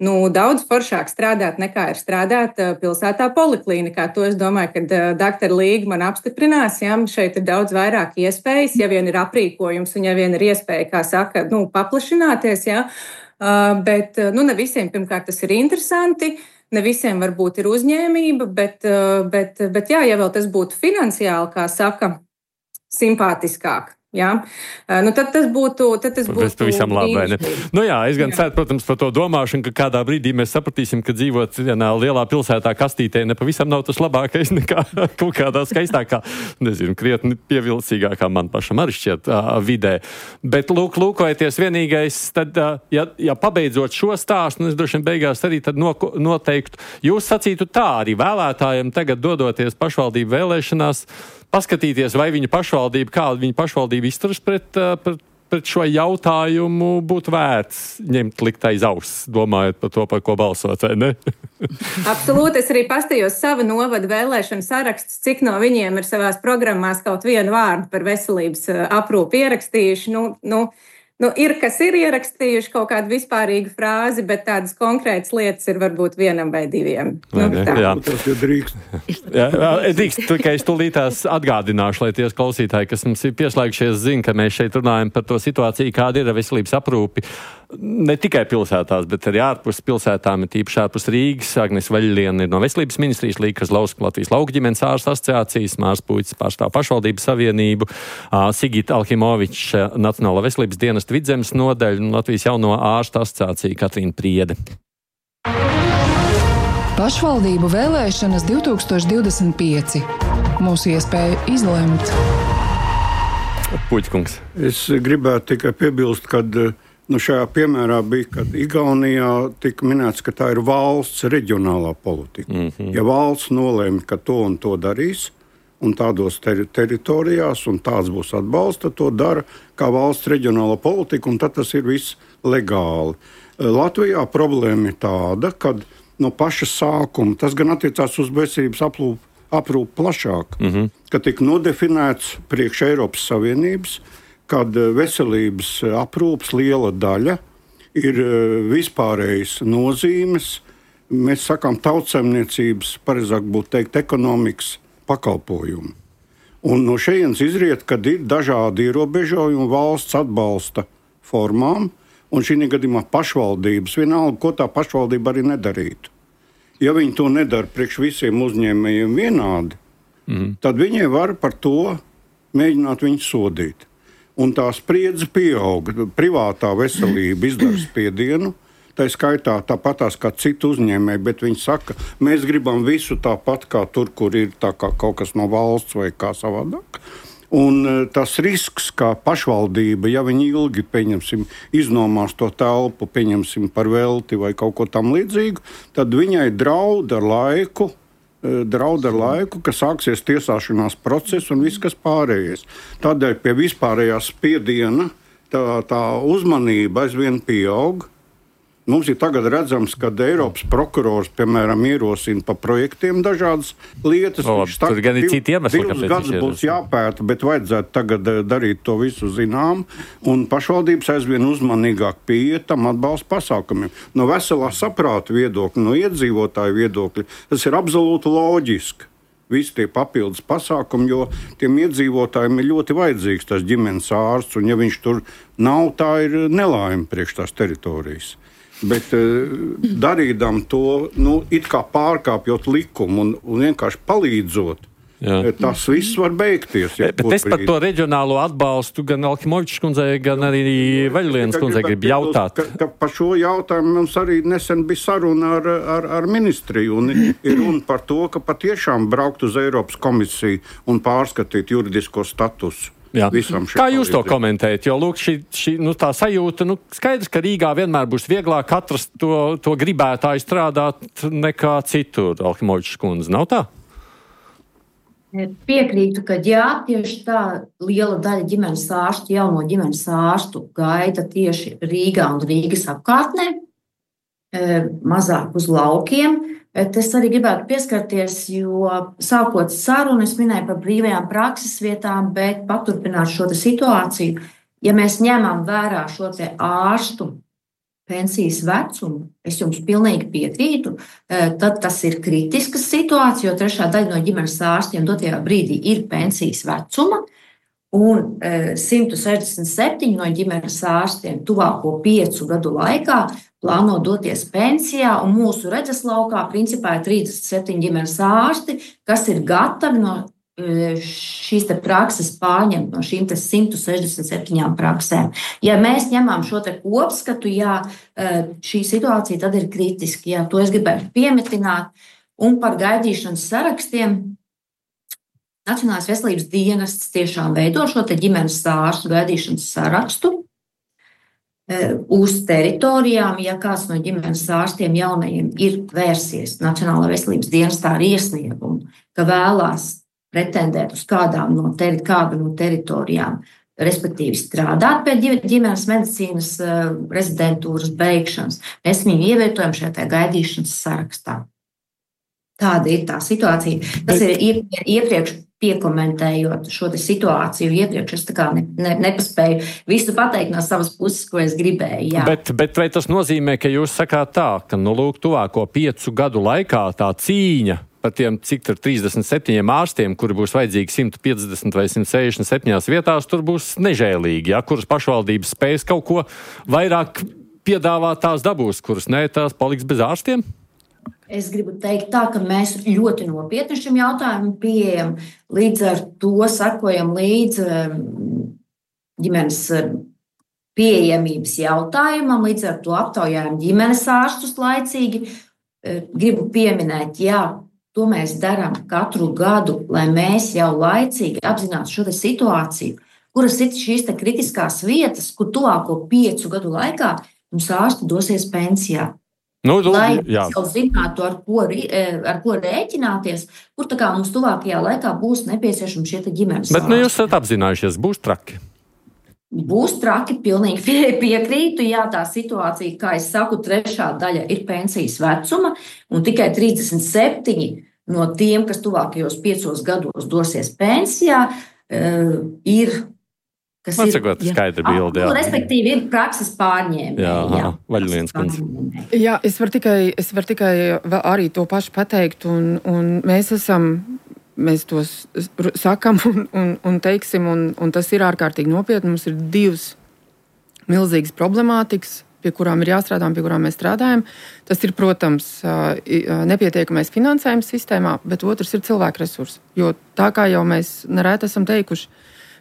nu, daudz foršāk strādāt nekā ir strādāt pilsētā poliklīnikā. To es domāju, ka doktora Līga man apstiprinās. Ja, šeit ir daudz vairāk iespējas, ja vien ir aprīkojums un ja vien ir iespēja, kā saka, nu, paplašināties. Ja. Bet nu, ne visiem pirmkārt tas ir interesanti, ne visiem varbūt ir uzņēmība, bet, bet, bet jā, ja vēl tas būtu finansiāli, kā saka, simpātiskāk. Jā, nu tad tas būtu. Tad tas būtu pavisam labi, vai ne? Nu jā, es gan ceru, protams, par to domāšanu, ka kādā brīdī mēs sapratīsim, ka dzīvot vienā lielā pilsētā kastītē nepavisam nav tas labākais nekā kaut kādā skaistākā, nezinu, krietni pievilcīgākā man pašam arī šķiet uh, vidē. Bet lūk, lūkojoties vienīgais, tad, uh, ja, ja pabeidzot šo stāstu, un es droši vien beigās arī tad no, noteiktu, jūs sacītu tā arī vēlētājiem tagad dodoties pašvaldību vēlēšanās, paskatīties, vai viņa pašvaldība, kāda viņa pašvaldība izturas pret, pret, pret šo jautājumu, būtu vērts ņemt likt aiz auss, domājot par to, par ko balsot, vai ne? Absolūti, es arī pastījos sava novada vēlēšanu saraksts, cik no viņiem ir savās programmās kaut vienu vārdu par veselības aprūpi ierakstījuši. Nu, nu, Nu, ir, kas ir ierakstījuši kaut kādu vispārīgu frāzi, bet tādas konkrētas lietas ir varbūt vienam vai diviem. Vai nu, tā. Jā, tas ir drīkst. Jā, drīkst, tikai es tūlītās atgādināšu, lai tie klausītāji, kas mums ir pieslēgušies, zina, ka mēs šeit runājam par to situāciju, kāda ir veselības aprūpi. Ne tikai pilsētās, bet arī ārpus pilsētām, ir tīpaši ārpus Rīgas. Agnes Vaļļiene ir no Veselības ministrijas, Līga Kazlauska, Latvijas lauku ģimenes ārstu asociācijas, Mārs Puicis pārstāv pašvaldības savienību, Sigita Alhimoviča Nacionālā veselības dienesta Vidzemes nodaļa un Latvijas jauno ārstu asociācija Katrīna Priede. Pašvaldību vēlēšanas divtūkstoš divdesmit pieci. Mūsu iespēja izlemt. Puķkungs. Es gribētu tikai piebilst, ka nu, šajā piemērā bija, kad Igaunijā tika minēts, ka tā ir valsts reģionālā politika. Mm-hmm. Ja valsts nolēma, ka to un to darīs, un tādos ter- teritorijās, un tāds būs atbalsts, tad to dara kā valsts reģionāla politika, un tad tas ir viss legāli. Latvijā problēma ir tāda, ka no paša sākuma, tas gan attiecās uz veselības aprūpi, aprūpi plašāk, mm-hmm. ka tika nodefinēts priekš Eiropas Savienības, kad veselības aprūpes liela daļa ir vispārējas nozīmes, mēs sakām tautsaimniecības, pareizāk būtu teikt, ekonomikas pakalpojumi. Un no šejienes izriet, kad ir dažādi ierobežojumi valsts atbalsta formām, un šī gadījumā pašvaldības, vienalga, ko tā pašvaldība arī nedarītu. Ja viņi to nedara priekš visiem uzņēmējiem vienādi, mm. tad viņi var par to mēģināt viņus sodīt. Un tā spriedze pieaug. Privātā veselība izdara spiedienu, tā skaitā tāpatās kā citu uzņēmēji, bet viņi saka, mēs gribam visu tāpat kā tur, kur ir tā kā kaut kas no valsts vai kā savādāk. Un tas risks, kā pašvaldība, ja viņi ilgi, pieņemsim, iznomās to telpu, pieņemsim par velti vai kaut ko tam līdzīgu, tad viņai draud ar laiku, draud ar laiku, ka sāksies tiesāšanās process un viss, kas pārējais. Tādēļ pie vispārējās spiediena tā, tā uzmanība aizvien pieaug. Mums ir tagad redzams, ka Eiropas prokurors, piemēram, ierosina pa projektiem dažādas lietas. O, tur gan ir citi iemesli, kāpēc gadus būs jāpēta, bet vajadzētu tagad darīt to visu zinām, un pašvaldības aizvien uzmanīgāk pieiet tam atbalsta pasākumiem. No veselā saprāta viedokļa, no iedzīvotāju viedokļa, tas ir absolūti loģiski. Visi tie papildus pasākumi, jo tiem iedzīvotājiem ir ļoti vajadzīgs tas ģimenes ārsts, un ja viņš tur nav, tā ir nelaime priekš tās teritorijas. Bet darīdam to, nu, it kā pārkāpjot likumu un, un vienkārši palīdzot, jā. Tas viss var beigties. Ja, bet es par to reģionālo atbalstu gan Alkimovičs kundzei, gan arī Vaļlienas kundzei gribu jautāt. Ka, ka par šo jautājumu mums arī nesen bija saruna ar, ar, ar ministriju, un ir runa par to, ka patiešām braukt uz Eiropas komisiju un pārskatīt juridisko statusu. Kā jūs to komentējat? Jo, lūk, šī, šī nu, tā sajūta, nu, skaidrs, ka Rīgā vienmēr būs vieglāk atrast to, to gribētāju strādāt nekā citur, Alkimovičs kundze. Nav tā? Piekrītu, ka jā, tieši tā liela daļa ģimenes ārstu, jauno ģimenes ārstu gaida tieši Rīgā un Rīgas apkārtnē, mazāk uz laukiem. Bet es arī gribētu pieskarties, jo sākot sarunu, es minēju par brīvajām prakses vietām, bet paturpināt šo situāciju. Ja mēs ņemam vērā šo te ārstu pensijas vecumu, es jums pilnīgi piekrītu, tad tas ir kritiskas situācija, jo trešā daļa no ģimenes ārstiem dotajā brīdī ir pensijas vecuma, un simt sešdesmit septiņi no ģimenes ārstiem tuvāko piecu gadu laikā plāno doties pensijā, un mūsu redzeslaukā principā ir trīsdesmit septiņi ģimenes ārsti, kas ir gatavi no šīs te prakses pārņemt, no šīm te simt sešdesmit septiņām praksēm. Ja mēs ņemam šo te kopskatu, jā, šī situācija tad ir kritiski, jā, to es gribētu piemetināt, un par gaidīšanas sarakstiem. Nacionālais veselības dienests tiešām veido šo te ģimenes ārstu gaidīšanas sarakstu uz teritorijām, ja kāds no ģimenes ārstiem jaunajiem ir vērsies Nacionālā veselības dienestā ar iesniegumu, ka vēlās pretendēt uz kādām no, teri, kādu no teritorijām, respektīvi strādāt pie ģimenes medicīnas rezidentūras beigšanas, mēs viņu ievietojam šajā gaidīšanas sarakstā. Tāda ir tā situācija. Tas ir iepriekš piekomentējot šo situāciju. Iepriekš es tā kā ne, ne, nepaspēju visu pateikt no savas puses, ko es gribēju. Jā. Bet, bet vai tas nozīmē, ka jūs sakāt tā, ka nu lūk tuvāko piecu gadu laikā tā cīņa par tiem, cik tur trīsdesmit septiņiem ārstiem, kuri būs vajadzīgi simt piecdesmit vai simt sešdesmit septiņās vietās, tur būs nežēlīgi, ja, kuras pašvaldības spējas kaut ko vairāk piedāvāt, tās dabūs, kuras ne, tās paliks bez ārstiem? Es gribu teikt tā, ka mēs ļoti nopietni šim jautājumam pieejam, līdz ar to sakojam līdz ģimenes pieejamības jautājumam, līdz ar to aptaujājam ģimenes ārstus laicīgi. Gribu pieminēt, jā, to mēs darām katru gadu, lai mēs jau laicīgi apzinātu šo situāciju kuras ir šīs te kritiskās vietas, kur tuvāko piecu gadu laikā mums ārsti dosies pensijā. Nu, nu, Lai jā. mēs jau zinātu, ar ko, ar ko rēķināties, kur tā kā mums tuvākajā laikā būs nepieciešami šie te ģimenes Bet nu, jūs ārsti. esat apzinājušies, būs traki. Būs traki, pilnīgi pie- piekrītu. Jā, tā situācija, kā es saku, trešā daļa ir pensijas vecuma, un tikai trīsdesmit septiņi no tiem, kas tuvākajos piecos gados dosies pensijā, eh, ir. Kas Man ir sakot, skaidra bilde, jā. Nu, respektīvi, ir prakses pārņēmēji. Jā, jā, Vaļļiens kundze. pārņēmēji. Jā, es varu tikai, es varu tikai vēl arī to pašu pateikt, un, un mēs esam, mēs to s- r- sakam un, un, un teiksim, un, un tas ir ārkārtīgi nopietni. Mums ir divas milzīgas problemātikas, pie kurām ir jāstrādā un pie kurām mēs strādājam. Tas ir, protams, ā, i- ā, nepietiekamais finansējums sistēmā, bet otrs ir cilvēku resursi. Jo tā kā jau mēs nereti esam teikuši,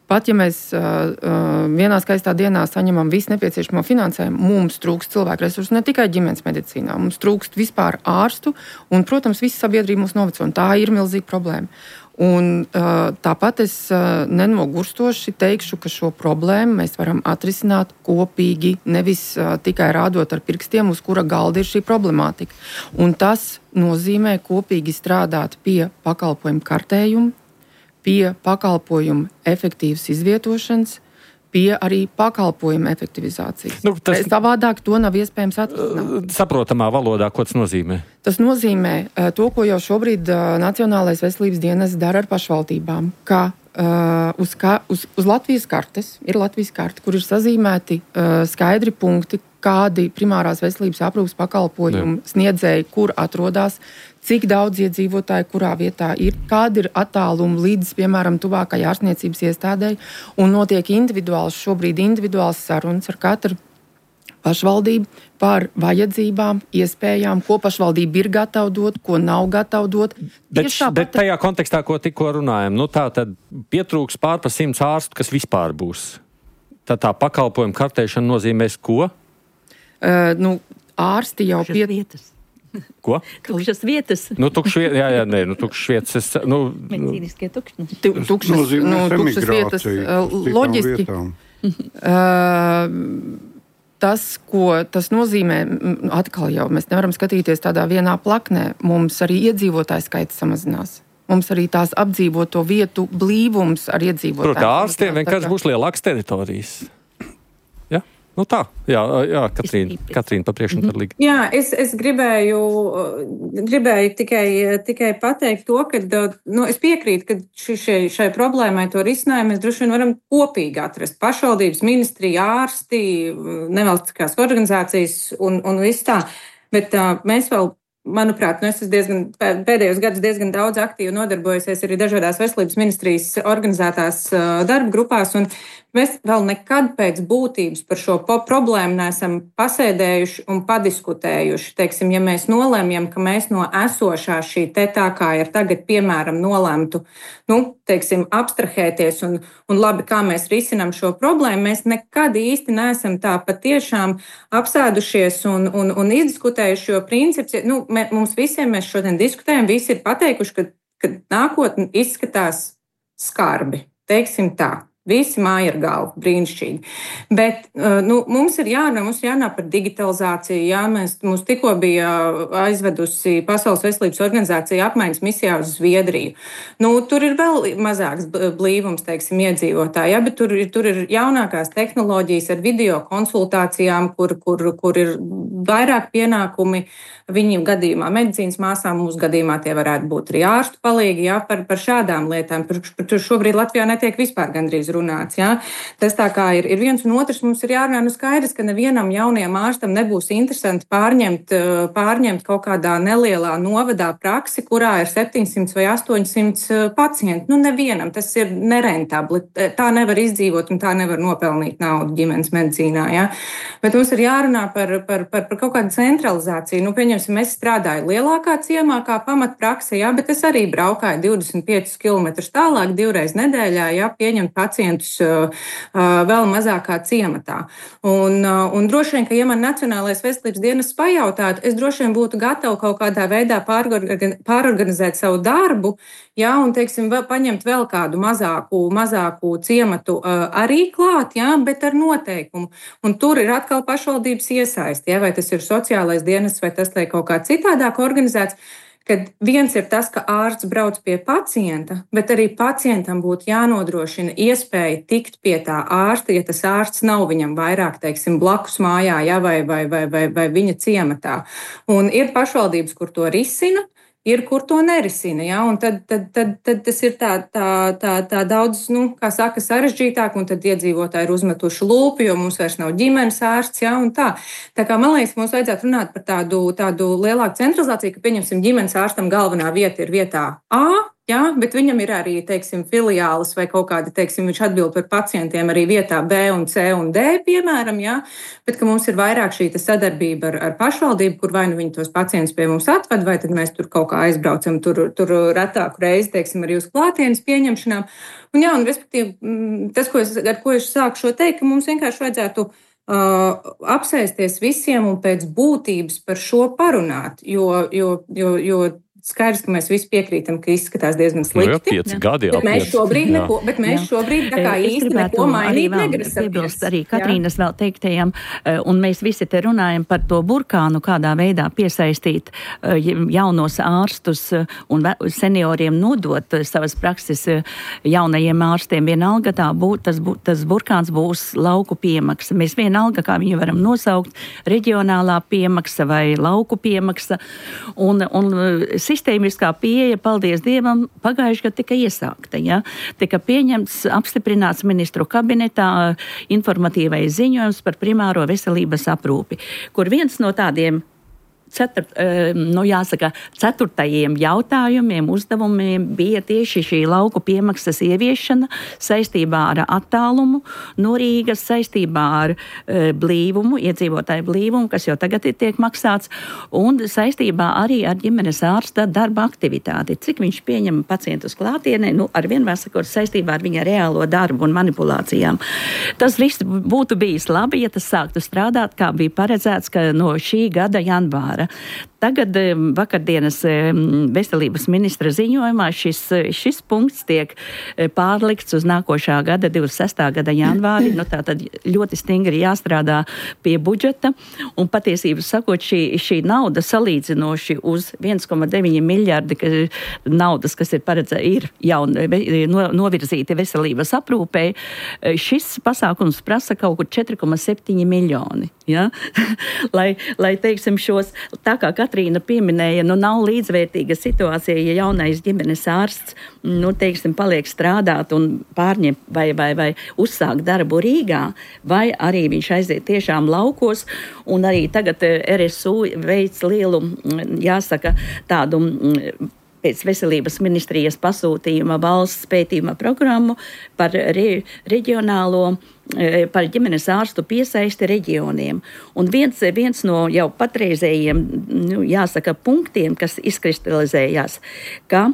pat ja mēs uh, uh, vienā skaistā dienā saņemam visu nepieciešamo finansējumu, mums trūkst cilvēku resursu ne tikai ģimenes medicīnā, mums trūkst vispār ārstu, un, protams, visa sabiedrība mūs noveco, un tā ir milzīga problēma. Un, uh, tāpat es uh, nenogurstoši teikšu, ka šo problēmu mēs varam atrisināt kopīgi, nevis uh, tikai rādot ar pirkstiem, uz kura galda ir šī problemātika. Un tas nozīmē kopīgi strādāt pie pakalpojumu kartējuma, pie pakalpojumu efektīvas izvietošanas, pie arī pakalpojumu efektivizācijas. Nu, tas- Savādāk to nav iespējams atrisināt. Saprotamā valodā, ko tas nozīmē? Tas nozīmē uh, to, ko jau šobrīd uh, Nacionālais veselības dienests dara ar pašvaldībām, ka uh, uz, ka, uz, uz Latvijas kartes ir Latvijas karte, kur ir sazīmēti uh, skaidri punkti, kādi primārās veselības aprūpes pakalpojumu sniedzēji, kur atrodas, cik daudz iedzīvotāji, kurā vietā ir, kādi ir attālumi līdz, piemēram, tuvākajai ārstniecības iestādēji, un notiek individuāls, šobrīd individuāls sarunas ar katru pašvaldību par vajadzībām, iespējām, ko pašvaldība ir gatava dot, ko nav gatava dot. Bet, Tieši bet tāpat- tajā kontekstā, ko tikko runājam, nu tā tad pietrūks pār pa simts ārstu, kas vispār būs. Tad tā pakalpojuma kartēšana nozīmēs ko? Uh, nu, ārsti jau Tukšas pie... vietas. Ko? Tukšas vietas. Nu, tukšs vietas, jā, jā, nē, nu, tukšs vietas. Es, nu, nu, Medicīniskie tukšņi. tu- tukšas, Nozīmēs nu, tukšas vietas emigrāciju uh, uz citām loģiski. vietām. Uh, tas, ko tas nozīmē, m, atkal jau mēs nevaram skatīties tādā vienā plaknē. Mums arī iedzīvotāju skaits samazinās. Mums arī tās apdzīvoto vietu blīvums ar iedzīvotājiem. proti, ārstiem vienkārši būs lielākas teritorijas. Ja? Nu tā, jā, jā Katrīna, Katrīna pa priekšu par līgu. Jā, es, es gribēju, gribēju tikai, tikai pateikt to, ka nu, es piekrītu, ka ši, šai, šai problēmai to risinājumu mēs droši vien varam kopīgi atrast. Pašvaldības, ministrija, ārsti, nevalstiskās organizācijas un, un viss tā. Bet uh, mēs vēl, manuprāt, nu, es esmu diezgan, pēdējos gadus diezgan daudz aktīvi nodarbojusies arī dažādās veselības ministrijas organizētās uh, darba grupās, un mēs vēl nekad pēc būtības par šo problēmu neesam pasēdējuši un padiskutējuši. Teiksim, ja mēs nolēmjam, ka mēs no esošā šī te tā kā ir tagad, piemēram, nolēmtu, nu, teiksim, abstrahēties un, un labi, kā mēs risinām šo problēmu, mēs nekad īsti neesam tā patiešām apsēdušies un, un, un izdiskutējuši, jo princips, nu, mē, mums visiem mēs šodien diskutējam, visi ir pateikuši, ka, ka nākotne izskatās skarbi, teiksim tā. Visi māja ar galvu, brīnišķīgi. Bet nu, mums ir jārunā, mums ir jārunā par digitalizāciju. Jā, mēs, mums tikko bija aizvedusi Pasaules veselības organizācija apmaiņas misijā uz Zviedriju. Nu, tur ir vēl mazāks blīvums, teiksim, iedzīvotāji, jā, bet tur, tur ir jaunākās tehnoloģijas ar video konsultācijām, kur, kur, kur ir vairāk pienākumi viņiem gadījumā medicīnas māsām, mūsu gadījumā tie varētu būt arī ārstu palīgi, jā, par, par šādām lietām. Par, par tur šobrīd Latvijā netiek vispār gandrīz runāts. Jā. Tas tā kā ir, ir viens un otrs, mums ir jārunā, nu skaidrs, ka nevienam jaunajam ārstam nebūs interesanti pārņemt, pārņemt kaut kādā nelielā novadā praksi, kurā ir septiņsimt vai astoņsimt pacienti. Nu, nevienam tas ir nerentabli. Tā nevar izdzīvot un tā nevar nopelnīt naudu ģimenes medicīnā. Jā. Bet mums ir jārunā par, par, par par kaut kādu centralizāciju. Nu, pieņemsim, es strādāju lielākā ciemā kā pamatprakse, jā, bet es arī braukāju divdesmit piecus kilometrus tālāk, divreiz nedēļā, jā, pieņemt pacientus uh, uh, vēl mazākā ciematā. Un, uh, un droši vien, ka, ja man Nacionālais veselības dienests pajautātu, es droši vien būtu gatava kaut kādā veidā pārorgan, pārorganizēt savu darbu, jā, un, teiksim, vēl, paņemt vēl kādu mazāku, mazāku ciematu uh, arī klāt, jā, bet ar noteikumu. Un tur ir atkal pašvaldības iesaisti, jā, vai tas ir sociālais dienests, vai tas ir kaut kā citādāk organizēts, kad viens ir tas, ka ārsts brauc pie pacienta, bet arī pacientam būtu jānodrošina iespēja tikt pie tā ārsta, ja tas ārsts nav viņam vairāk, teiksim, blakus mājā, jā, vai, vai, vai, vai, vai viņa ciematā. Un ir pašvaldības, kur to risina, ir, kur to nerisina, ja? Un tad, tad, tad, tad tas ir tā, tā, tā, tā daudz, nu, kā saka, sarežģītāk, un tad iedzīvotāji ir uzmetuši lūpu, jo mums vairs nav ģimenes ārsts, ja? Un tā. Tā kā, man liekas, mums vajadzētu runāt par tādu, tādu lielāku centralizāciju, ka, pieņemsim, ģimenes ārstam galvenā vieta ir vietā A, jā, bet viņam ir arī, teiksim, filiālis vai kaut kādi, teiksim, viņš atbild par pacientiem arī vietā B un C un D, piemēram, jā, bet ka mums ir vairāk šī sadarbība ar, ar pašvaldību, kur vai nu viņi tos pacientus pie mums atved, vai tad mēs tur kaut kā aizbraucam tur, tur retāku reizi, teiksim, arī uz klātienes pieņemšanām. Un jā, un respektīvi, tas, ko es, ar ko es sāku šo teikt, ka mums vienkārši vajadzētu uh, apsēsties visiem un pēc būtības par šo parunāt, jo, jo, jo, jo skaidrs, ka mēs visi piekrītam, ka izskatās diezgan slikti. Nu, jā, pieci gadi jau. Bet mēs šobrīd jā. neko, bet mēs šobrīd tā kā es īsti neko mainīt negrasamies. Arī Katrīnas vēl teiktajam, un mēs visi te runājam par to burkānu, kādā veidā piesaistīt jaunos ārstus un senioriem nodot savas prakses jaunajiem ārstiem. Vienalga tā būt, tas, bū, tas burkāns būs lauku piemaksa. Mēs vienalga, kā viņu varam nosaukt, reģionālā piemaksa vai lauku piemaksa. Un, un sistēmiskā pieeja, paldies Dievam, pagājuši gadu tika iesākta. Ja? Tika pieņemts, apstiprināts ministru kabinetā informatīvais ziņojums par primāro veselības aprūpi, kur viens no tādiem Ceturt, nu jāsaka, ceturtajiem jautājumiem, uzdevumiem bija tieši šī lauku piemaksas ieviešana saistībā ar attālumu no Rīgas, saistībā ar e, blīvumu, iedzīvotāju blīvumu, kas jau tagad ir tiek maksāts, un saistībā arī ar ģimenes ārsta darba aktivitāti. Cik viņš pieņem pacientus klātienē, nu, ar vienmēr sakot, saistībā ar viņa reālo darbu un manipulācijām. Tas viss būtu bijis labi, ja tas sāktu strādāt, kā bija paredzēts, ka no šī gada janvāra. Tagad vakardienas veselības ministra ziņojumā šis, šis punkts tiek pārlikts uz nākošā gada, divdesmit sestā gada janvāri. Nu, tā tad ļoti stingri jāstrādā pie budžeta. Un patiesībā sakot, šī, šī nauda salīdzinoši uz viens komats deviņi miljardi ka, naudas, kas ir paredzēta, ir jau no, novirzīti veselības aprūpē. Šis pasākums prasa kaut kur četri komats septiņi miljoni. Ja? lai, lai, teiksim, šos, tā kā Katrīna pieminēja, nu nav līdzvērtīga situācija, ja jaunais ģimenes ārsts, nu, teiksim, paliek strādāt un pārņem vai, vai, vai uzsāk darbu Rīgā, vai arī viņš aiziet tiešām laukos, un arī tagad R S U veic lielu, jāsaka, tādu pēc veselības ministrijas pasūtījuma valsts pētījuma programmu par re, reģionālo, par ģimenes ārstu piesaisti reģioniem. Un viens, viens no jau patreizējiem, nu, jāsaka, punktiem, kas izkristalizējās, ka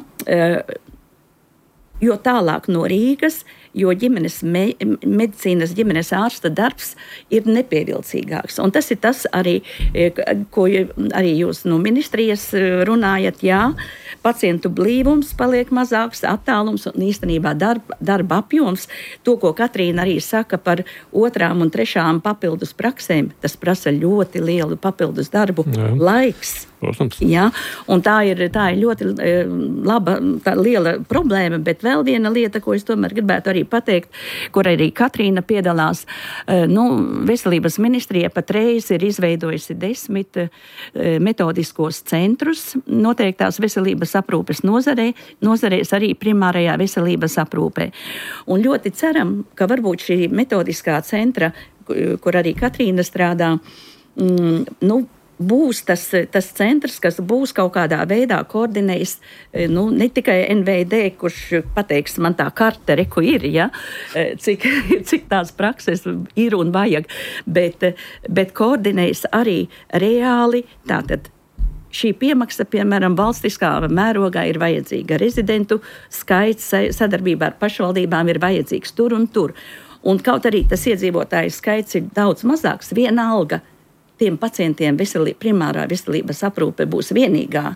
jo tālāk no Rīgas, jo ģimenes me, medicīnas ģimenes ārsta darbs ir nepievilcīgāks. Un tas ir tas arī, ko arī jūs no ministrijas runājat, jā, pacientu blīvums paliek mazāks, attālums un īstenībā darba, darba apjoms. To, ko Katrīna arī saka par otrām un trešām papildus praksēm, tas prasa ļoti lielu papildus darbu, jā. Laiks. Protams. Jā, un tā ir, tā ir ļoti laba, tā liela problēma, bet vēl viena lieta, ko es tomēr gribētu arī pateikt, kur arī Katrīna piedalās, nu, veselības ministrija patreiz ir izveidojusi desmit metodiskos centrus noteiktās veselības aprūpes nozarē, nozarēs arī primārajā veselības aprūpē. Un ļoti ceram, ka varbūt šī metodiskā centra, kur arī Katrīna strādā, mm, nu, būs tas, tas centrs, kas būs kaut kādā veidā koordinējis, nu, ne tikai N V D, kurš pateiks, man tā karte, reku ir, ja, cik, cik tās prakses ir un vajag, bet, bet koordinējis arī reāli, tātad šī piemaksa, piemēram, valstiskā mērogā ir vajadzīga. Rezidentu skaits sadarbībā ar pašvaldībām ir vajadzīgs tur un tur. Un kaut arī tas iedzīvotāju skaits ir daudz mazāks, viena alga tiem pacientiem veselī, primārā veselības aprūpe būs vienīgā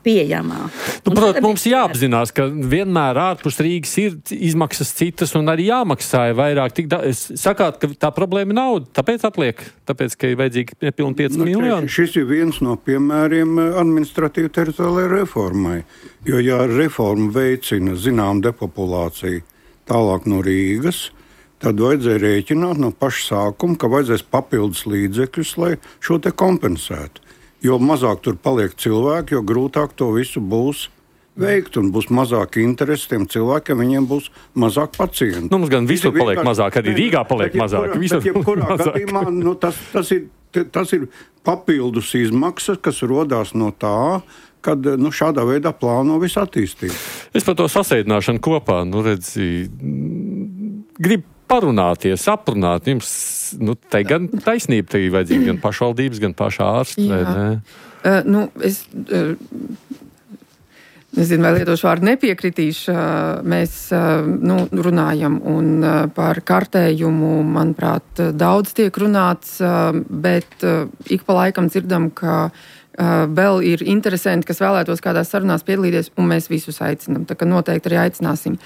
pieejamā. Nu, protams, mums jāapzinās, ka vienmēr ārpus Rīgas ir izmaksas citas un arī jāmaksā vairāk. Tik da- sakāt, ka tā problēma ir nauda, tāpēc atliek, tāpēc, ka ir vajadzīgi nepilni pieci Nu, miljoni. Šis ir viens no piemēriem administratīvi teritoriālajai reformai, jo ja reforma veicina zinām depopulāciju tālāk no Rīgas, tad vajadzēja rēķināt no paša sākuma, ka vajadzēs papildus līdzekļus, lai šo te kompensētu. Jo mazāk tur paliek cilvēki, jo grūtāk to visu būs veikt un būs mazāk interesi tiem cilvēkiem, viņiem būs mazāk pacientu. Nu, mums gan visur paliek vienkārši mazāk, arī Rīgā paliek mazāk. Bet jebkurā gadījumā nu, tas, tas, ir, tas ir papildus izmaksas, kas rodās no tā, kad nu, šādā veidā plāno visu attīstību. Es par to sasēdināšanu kopā, nu redzi, gribu parunāties, aprunāt. Jums, nu, te gan taisnība, te ir vajadzīga gan pašvaldības, gan pašā ārsta, vai ne? Uh, nu, es uh, nezinu, vai lietošu vārdu nepiekritīšu. Uh, mēs uh, nu, runājam un uh, par kartējumu, manuprāt, daudz tiek runāts, uh, bet uh, ik pa laikam dzirdam, ka Uh, vēl ir interesanti, kas vēlētos kādās sarunās piedalīties, un mēs visus aicinām. Tā kā noteikti arī aicināsim.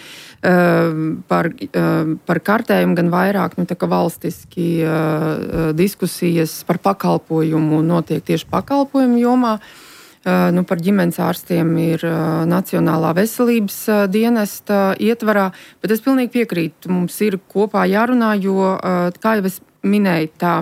Uh, par, uh, par kartējumu gan vairāk, nu, tā kā valstiski uh, diskusijas par pakalpojumu notiek tieši pakalpojumu jomā. Uh, nu, par ģimenes ārstiem ir uh, Nacionālā veselības uh, dienesta ietvarā, bet es pilnīgi piekrītu, mums ir kopā jārunā, jo, uh, kā jau es minēju, tā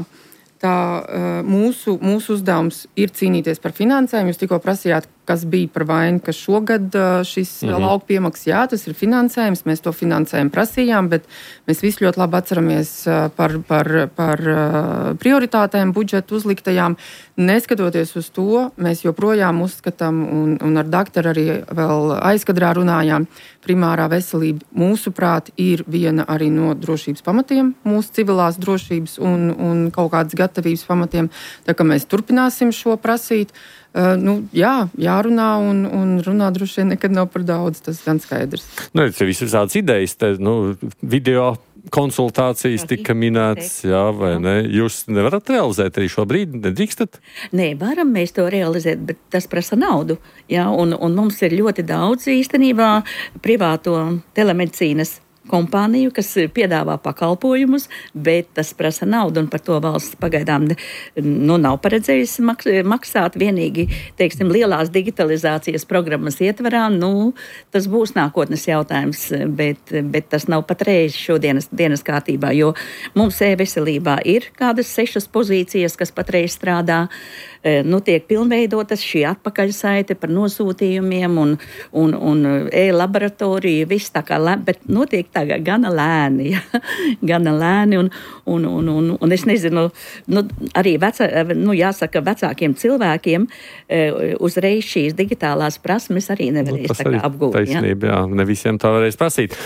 Tā uh, mūsu, mūsu uzdevums ir cīnīties par finansējumu. Jūs tikko prasījāt, kas bija par vainu, ka šogad uh, šis mm-hmm. lauku piemaks, jā, tas ir finansējums, mēs to finansējumu prasījām, bet mēs visi ļoti labi atceramies uh, par, par, par uh, prioritātēm budžetu uzliktajām. Neskatoties uz to, mēs joprojām uzskatām, un, un ar daktaru arī vēl aizkadrā runājām, primārā veselība, mūsuprāt, ir viena arī no drošības pamatiem, mūsu civilās drošības un, un kaut kādas gatavības pamatiem. Tā kā mēs turpināsim šo prasīt. Uh, nu, jā, jārunā un, un runā droši vien nekad nav par daudz, tas gan skaidrs. Nu, ir visādas idejas, te, nu, video konsultācijas tika minētas, jā, vai ne? Jūs nevarat realizēt arī šobrīd, nedrīkstat? Nē, varam mēs to realizēt, bet tas prasa naudu, jā, un, un mums ir ļoti daudz īstenībā privāto telemedicīnas kompāniju, kas piedāvā pakalpojumus, bet tas prasa naudu, un par to valsts pagaidām nu, nav paredzējusi maks maksāt. Vienīgi, teiksim, lielās digitalizācijas programmas ietvarā, nu, tas būs nākotnes jautājums, bet, bet tas nav patreiz šodienas dienas kārtībā, jo mums e-veselībā ir kādas sešas pozīcijas, kas patreiz strādā, nu, tiek pilnveidotas šī atpakaļsaite par nosūtījumiem un, un, un e-laboratoriju, viss tā kā, bet notiek tagad gana lēni, ja? gana lēni, un, un, un, un, un es nezinu, nu, arī vecā, nu, jāsaka, vecākiem cilvēkiem uzreiz šīs digitālās prasmes arī nevarēs nu, tā kā apgūt. Taisnība, jā, ne visiem tā varēs prasīt.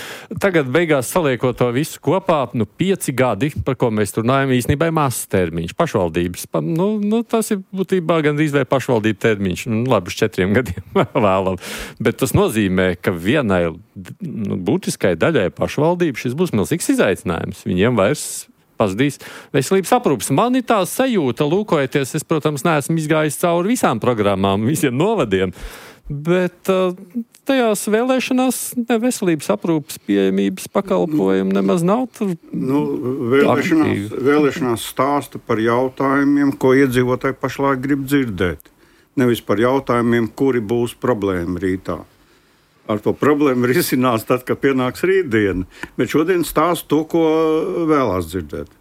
Tagad beigās saliekot to visu kopā, nu, pieci gadi, par ko mēs runājam, īstenībā ir mazs termiņš, pašvaldības, nu, nu tas ir būtībā gandrīz vai pašvaldību termiņš, nu, labi, uz četriem gadiem vēlam, bet tas nozīmē, ka vienai nu, būtiskai daļai pašvaldību šis būs milzīgs izaicinājums. Viņiem vairs pazudīs veselības aprūpes. Man ir tā sajūta, lūkojoties, es, protams, neesmu izgājis cauri visām programmām, visiem novadiem, bet uh, tajās vēlēšanās ne veselības aprūpes pieejamības pakalpojumi nemaz nav tur. Nu, vēlēšanās, vēlēšanās stāsta par jautājumiem, ko iedzīvotāji pašlaik grib dzirdēt. Nevis par jautājumiem, kuri būs problēma rītā. Ar to problēmu risinās tad, kad pienāks rītdiena. Bet šodien stāsta to, ko vēlās dzirdēt.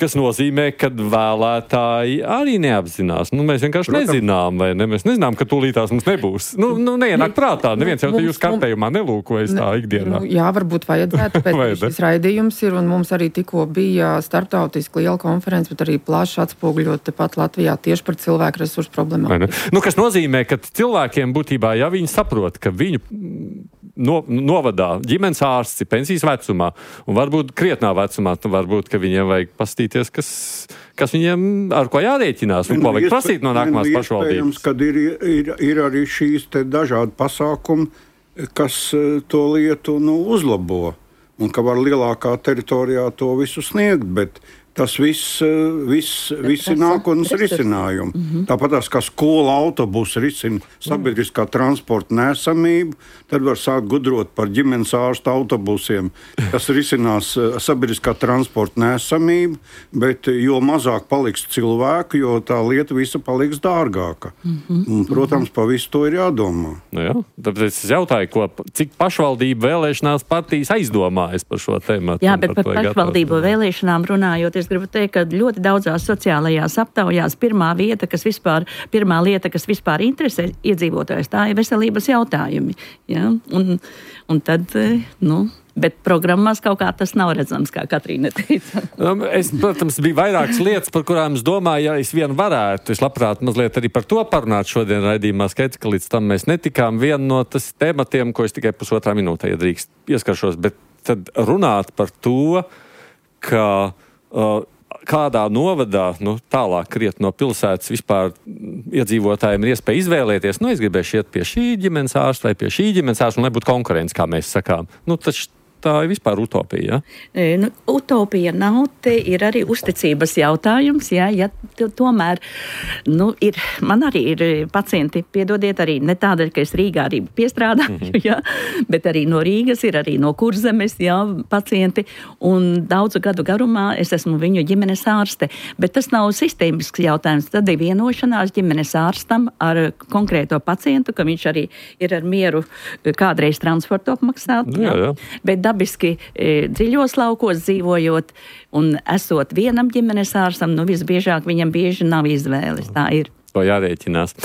Kas nozīmē, ka vēlētāji arī neapzinās. Nu, mēs vienkārši Protams. nezinām, vai ne? Mēs nezinām, ka tūlītās mums nebūs. Nu, nu neienāk prātā. Neviens jau te jūs kartējumā nelūkojas tā ikdienā. Nu, jā, varbūt vajadzētu, pēc šis raidījums ir, un mums arī tikko bija starptautiski liela konference, bet arī plaši atspoguļot tepat Latvijā tieši par cilvēku resursu problēmām. Nu, kas nozīmē, ka cilvēkiem būtībā, ja viņi saprot, ka viņu no, novadā ģimenes ārsts ir pensijas vecumā, un varbūt krietnā vecumā, tad varbūt, ka viņiem vajag pastīties, kas, kas viņiem ar ko jārēķinās, un ko vajag prasīt no nākamās pašvaldības. Kad ir, ir, ir arī šīs te dažādi pasākumi, kas to lietu nu, uzlabo, un ka var lielākā teritorijā to visu sniegt, bet tas viss, viss, viss ir nākotnes risinājumi. Mm-hmm. Tāpat tās, kā skola autobusu risina sabiedriskā transporta nesamību, tad var sākt gudrot par ģimenes ārsta autobusiem, kas risinās sabiedriskā transporta nesamību, bet jo mazāk paliks cilvēku, jo tā lieta visa paliks dārgāka. Mm-hmm. Un, protams, pa visu to ir jādomā. Nu jā, tāpēc es jautāju, ko, cik pašvaldību vēlēšanās partijas aizdomājas par šo tēmatu. Jā, bet par pašvaldību vēlēšanām runājot, es gribu teikt, ka ļoti daudzās sociālajās aptaujās pirmā vieta, kas vispār, pirmā lieta, kas vispār interesē iedzīvotājus, tā ir veselības jautājumi. Ja? Un, un tad, nu, bet programmās kaut kā tas nav redzams, kā Katrīna teica. Es, protams, bija vairākas lietas, par kurām es domāju, ja es vien varētu. Es labprāt mazliet arī par to parunāt šodien raidījumā. Skaidrs, ka līdz tam mēs netikām. Viena no tas tematiem, ko es tikai pusotrā minūtē iedrīkst pieskaršos, bet tad runāt par to, ka Uh, kādā novadā, nu, tālāk kriet no pilsētas vispār iedzīvotājiem ir iespēja izvēlēties, nu, es gribēšu iet pie šī ģimenes ārsta vai pie šī ģimenes ārsta, un lai būtu konkurence, kā mēs sakām. Nu, taču tā ir vispār utopija, ja? E, nu, utopija nav, te ir arī uzticības jautājums, ja, ja t- tomēr, nu, ir, man arī ir pacienti, piedodiet arī, ne tādēļ, ka es Rīgā arī piestrādāju, mm-hmm. ja, bet arī no Rīgas ir arī no Kurzemes, ja, pacienti, un daudzu gadu garumā es esmu viņu ģimenes ārste, bet tas nav sistēmisks jautājums, tad ir vienošanās ģimenes ārstam ar konkrēto pacientu, ka viņš arī ir ar mieru kādreiz transportu apmaksāt, jā, jā. Bet dabiski e, dziļos laukos dzīvojot un esot vienam ģimenes ārstam, nu visbiežāk viņam bieži nav izvēles. Tā ir. To jārēķinās.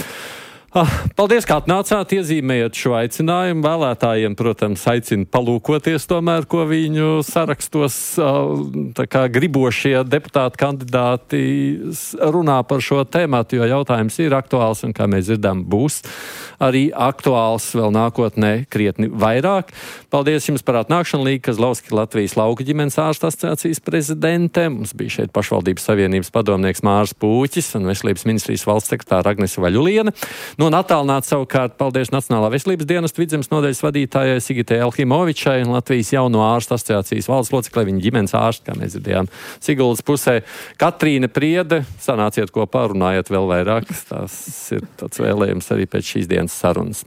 Ah, paldies, kā atnācāt, iezīmējot šo aicinājumu. Vēlētājiem, protams, aicinu palūkoties tomēr, ko viņu sarakstos tā kā gribošie deputāti kandidāti runā par šo tēmatu, jo jautājums ir aktuāls un, kā mēs dzirdam, būs arī aktuāls vēl nākotnē krietni vairāk. Paldies jums par atnākšanu, Līga Kazlovska, Latvijas lauku ģimenes ārstu asociācijas prezidente. Mums bija šeit pašvaldības savienības padomnieks Māris Pūķis un veselības ministrijas valsts sekretāra Agnese Vaļuliene. Nu, un attālināt savukārt paldies Nacionālā veselības dienesta Vidzemes nodaļas vadītājai Sigitai Elhimovičai un Latvijas jauno ārstu asociācijas valdes loceklei, viņa ģimenes ārsti, kā mēs dzirdējām, Siguldas pusē. Katrīna Priede, sanāciet kopā, runājiet vēl vairāk. Tas ir tāds vēlējums arī pēc šīs dienas sarunas.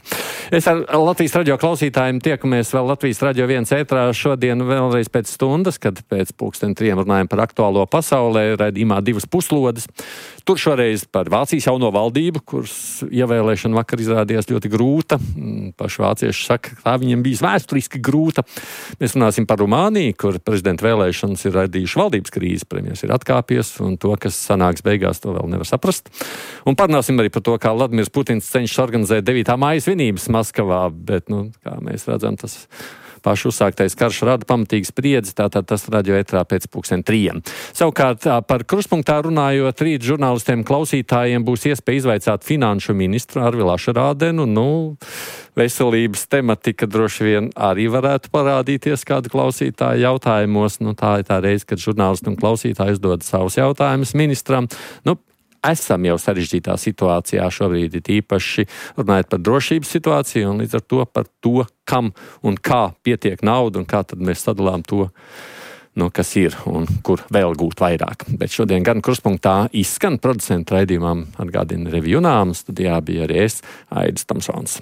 Es ar Latvijas radio klausītājiem tiekamies vēl Latvijas radio viens ētrā šodien vēlreiz pēc stundas, kad pēc pulksten trijiem runājam par aktuālo pasaulē, raidījumā divas puslodes. Tur šoreiz par Vācijas jauno valdību, kuras ievēlēšana vakar izrādījās ļoti grūta. Paši vācieši saka, ka tā viņiem bijis vēsturiski grūta. Mēs runāsim par Rumāniju, kur prezidenta vēlēšanas ir radījuši valdības krīzi. Premjers ir atkāpies, un to, kas sanāks beigās, to vēl nevar saprast. Un parunāsim arī par to, kā Vladimirs Putins cenšas organizēt devītā māja svinības Maskavā, bet, nu, kā mēs redzam, tas pašu uzsāktais karš rada pamatīgas spriedzi, tātad tas radio ētrā pēc pulksten trījiem. Savukārt par kruspunktā runājot, rīt žurnālistiem klausītājiem būs iespēja izvaicāt finanšu ministru Arvilu Ašerādenu. Nu, veselības tematika droši vien arī varētu parādīties kādu klausītāju jautājumos. Nu, tā ir tā reize, kad žurnālisti un klausītāji uzdod savus jautājumus ministram. Nu, esam jau sarežģītā situācijā šobrīd, ir īpaši runājot par drošības situāciju un līdz ar to par to, kam un kā pietiek nauda un kā tad mēs sadalām to, nu, kas ir un kur vēl gūt vairāk. Bet šodien gan kruspunktā izskan producentu raidījumam atgādina Revija Junām, studijā bija arī es, Aidis Tamsons.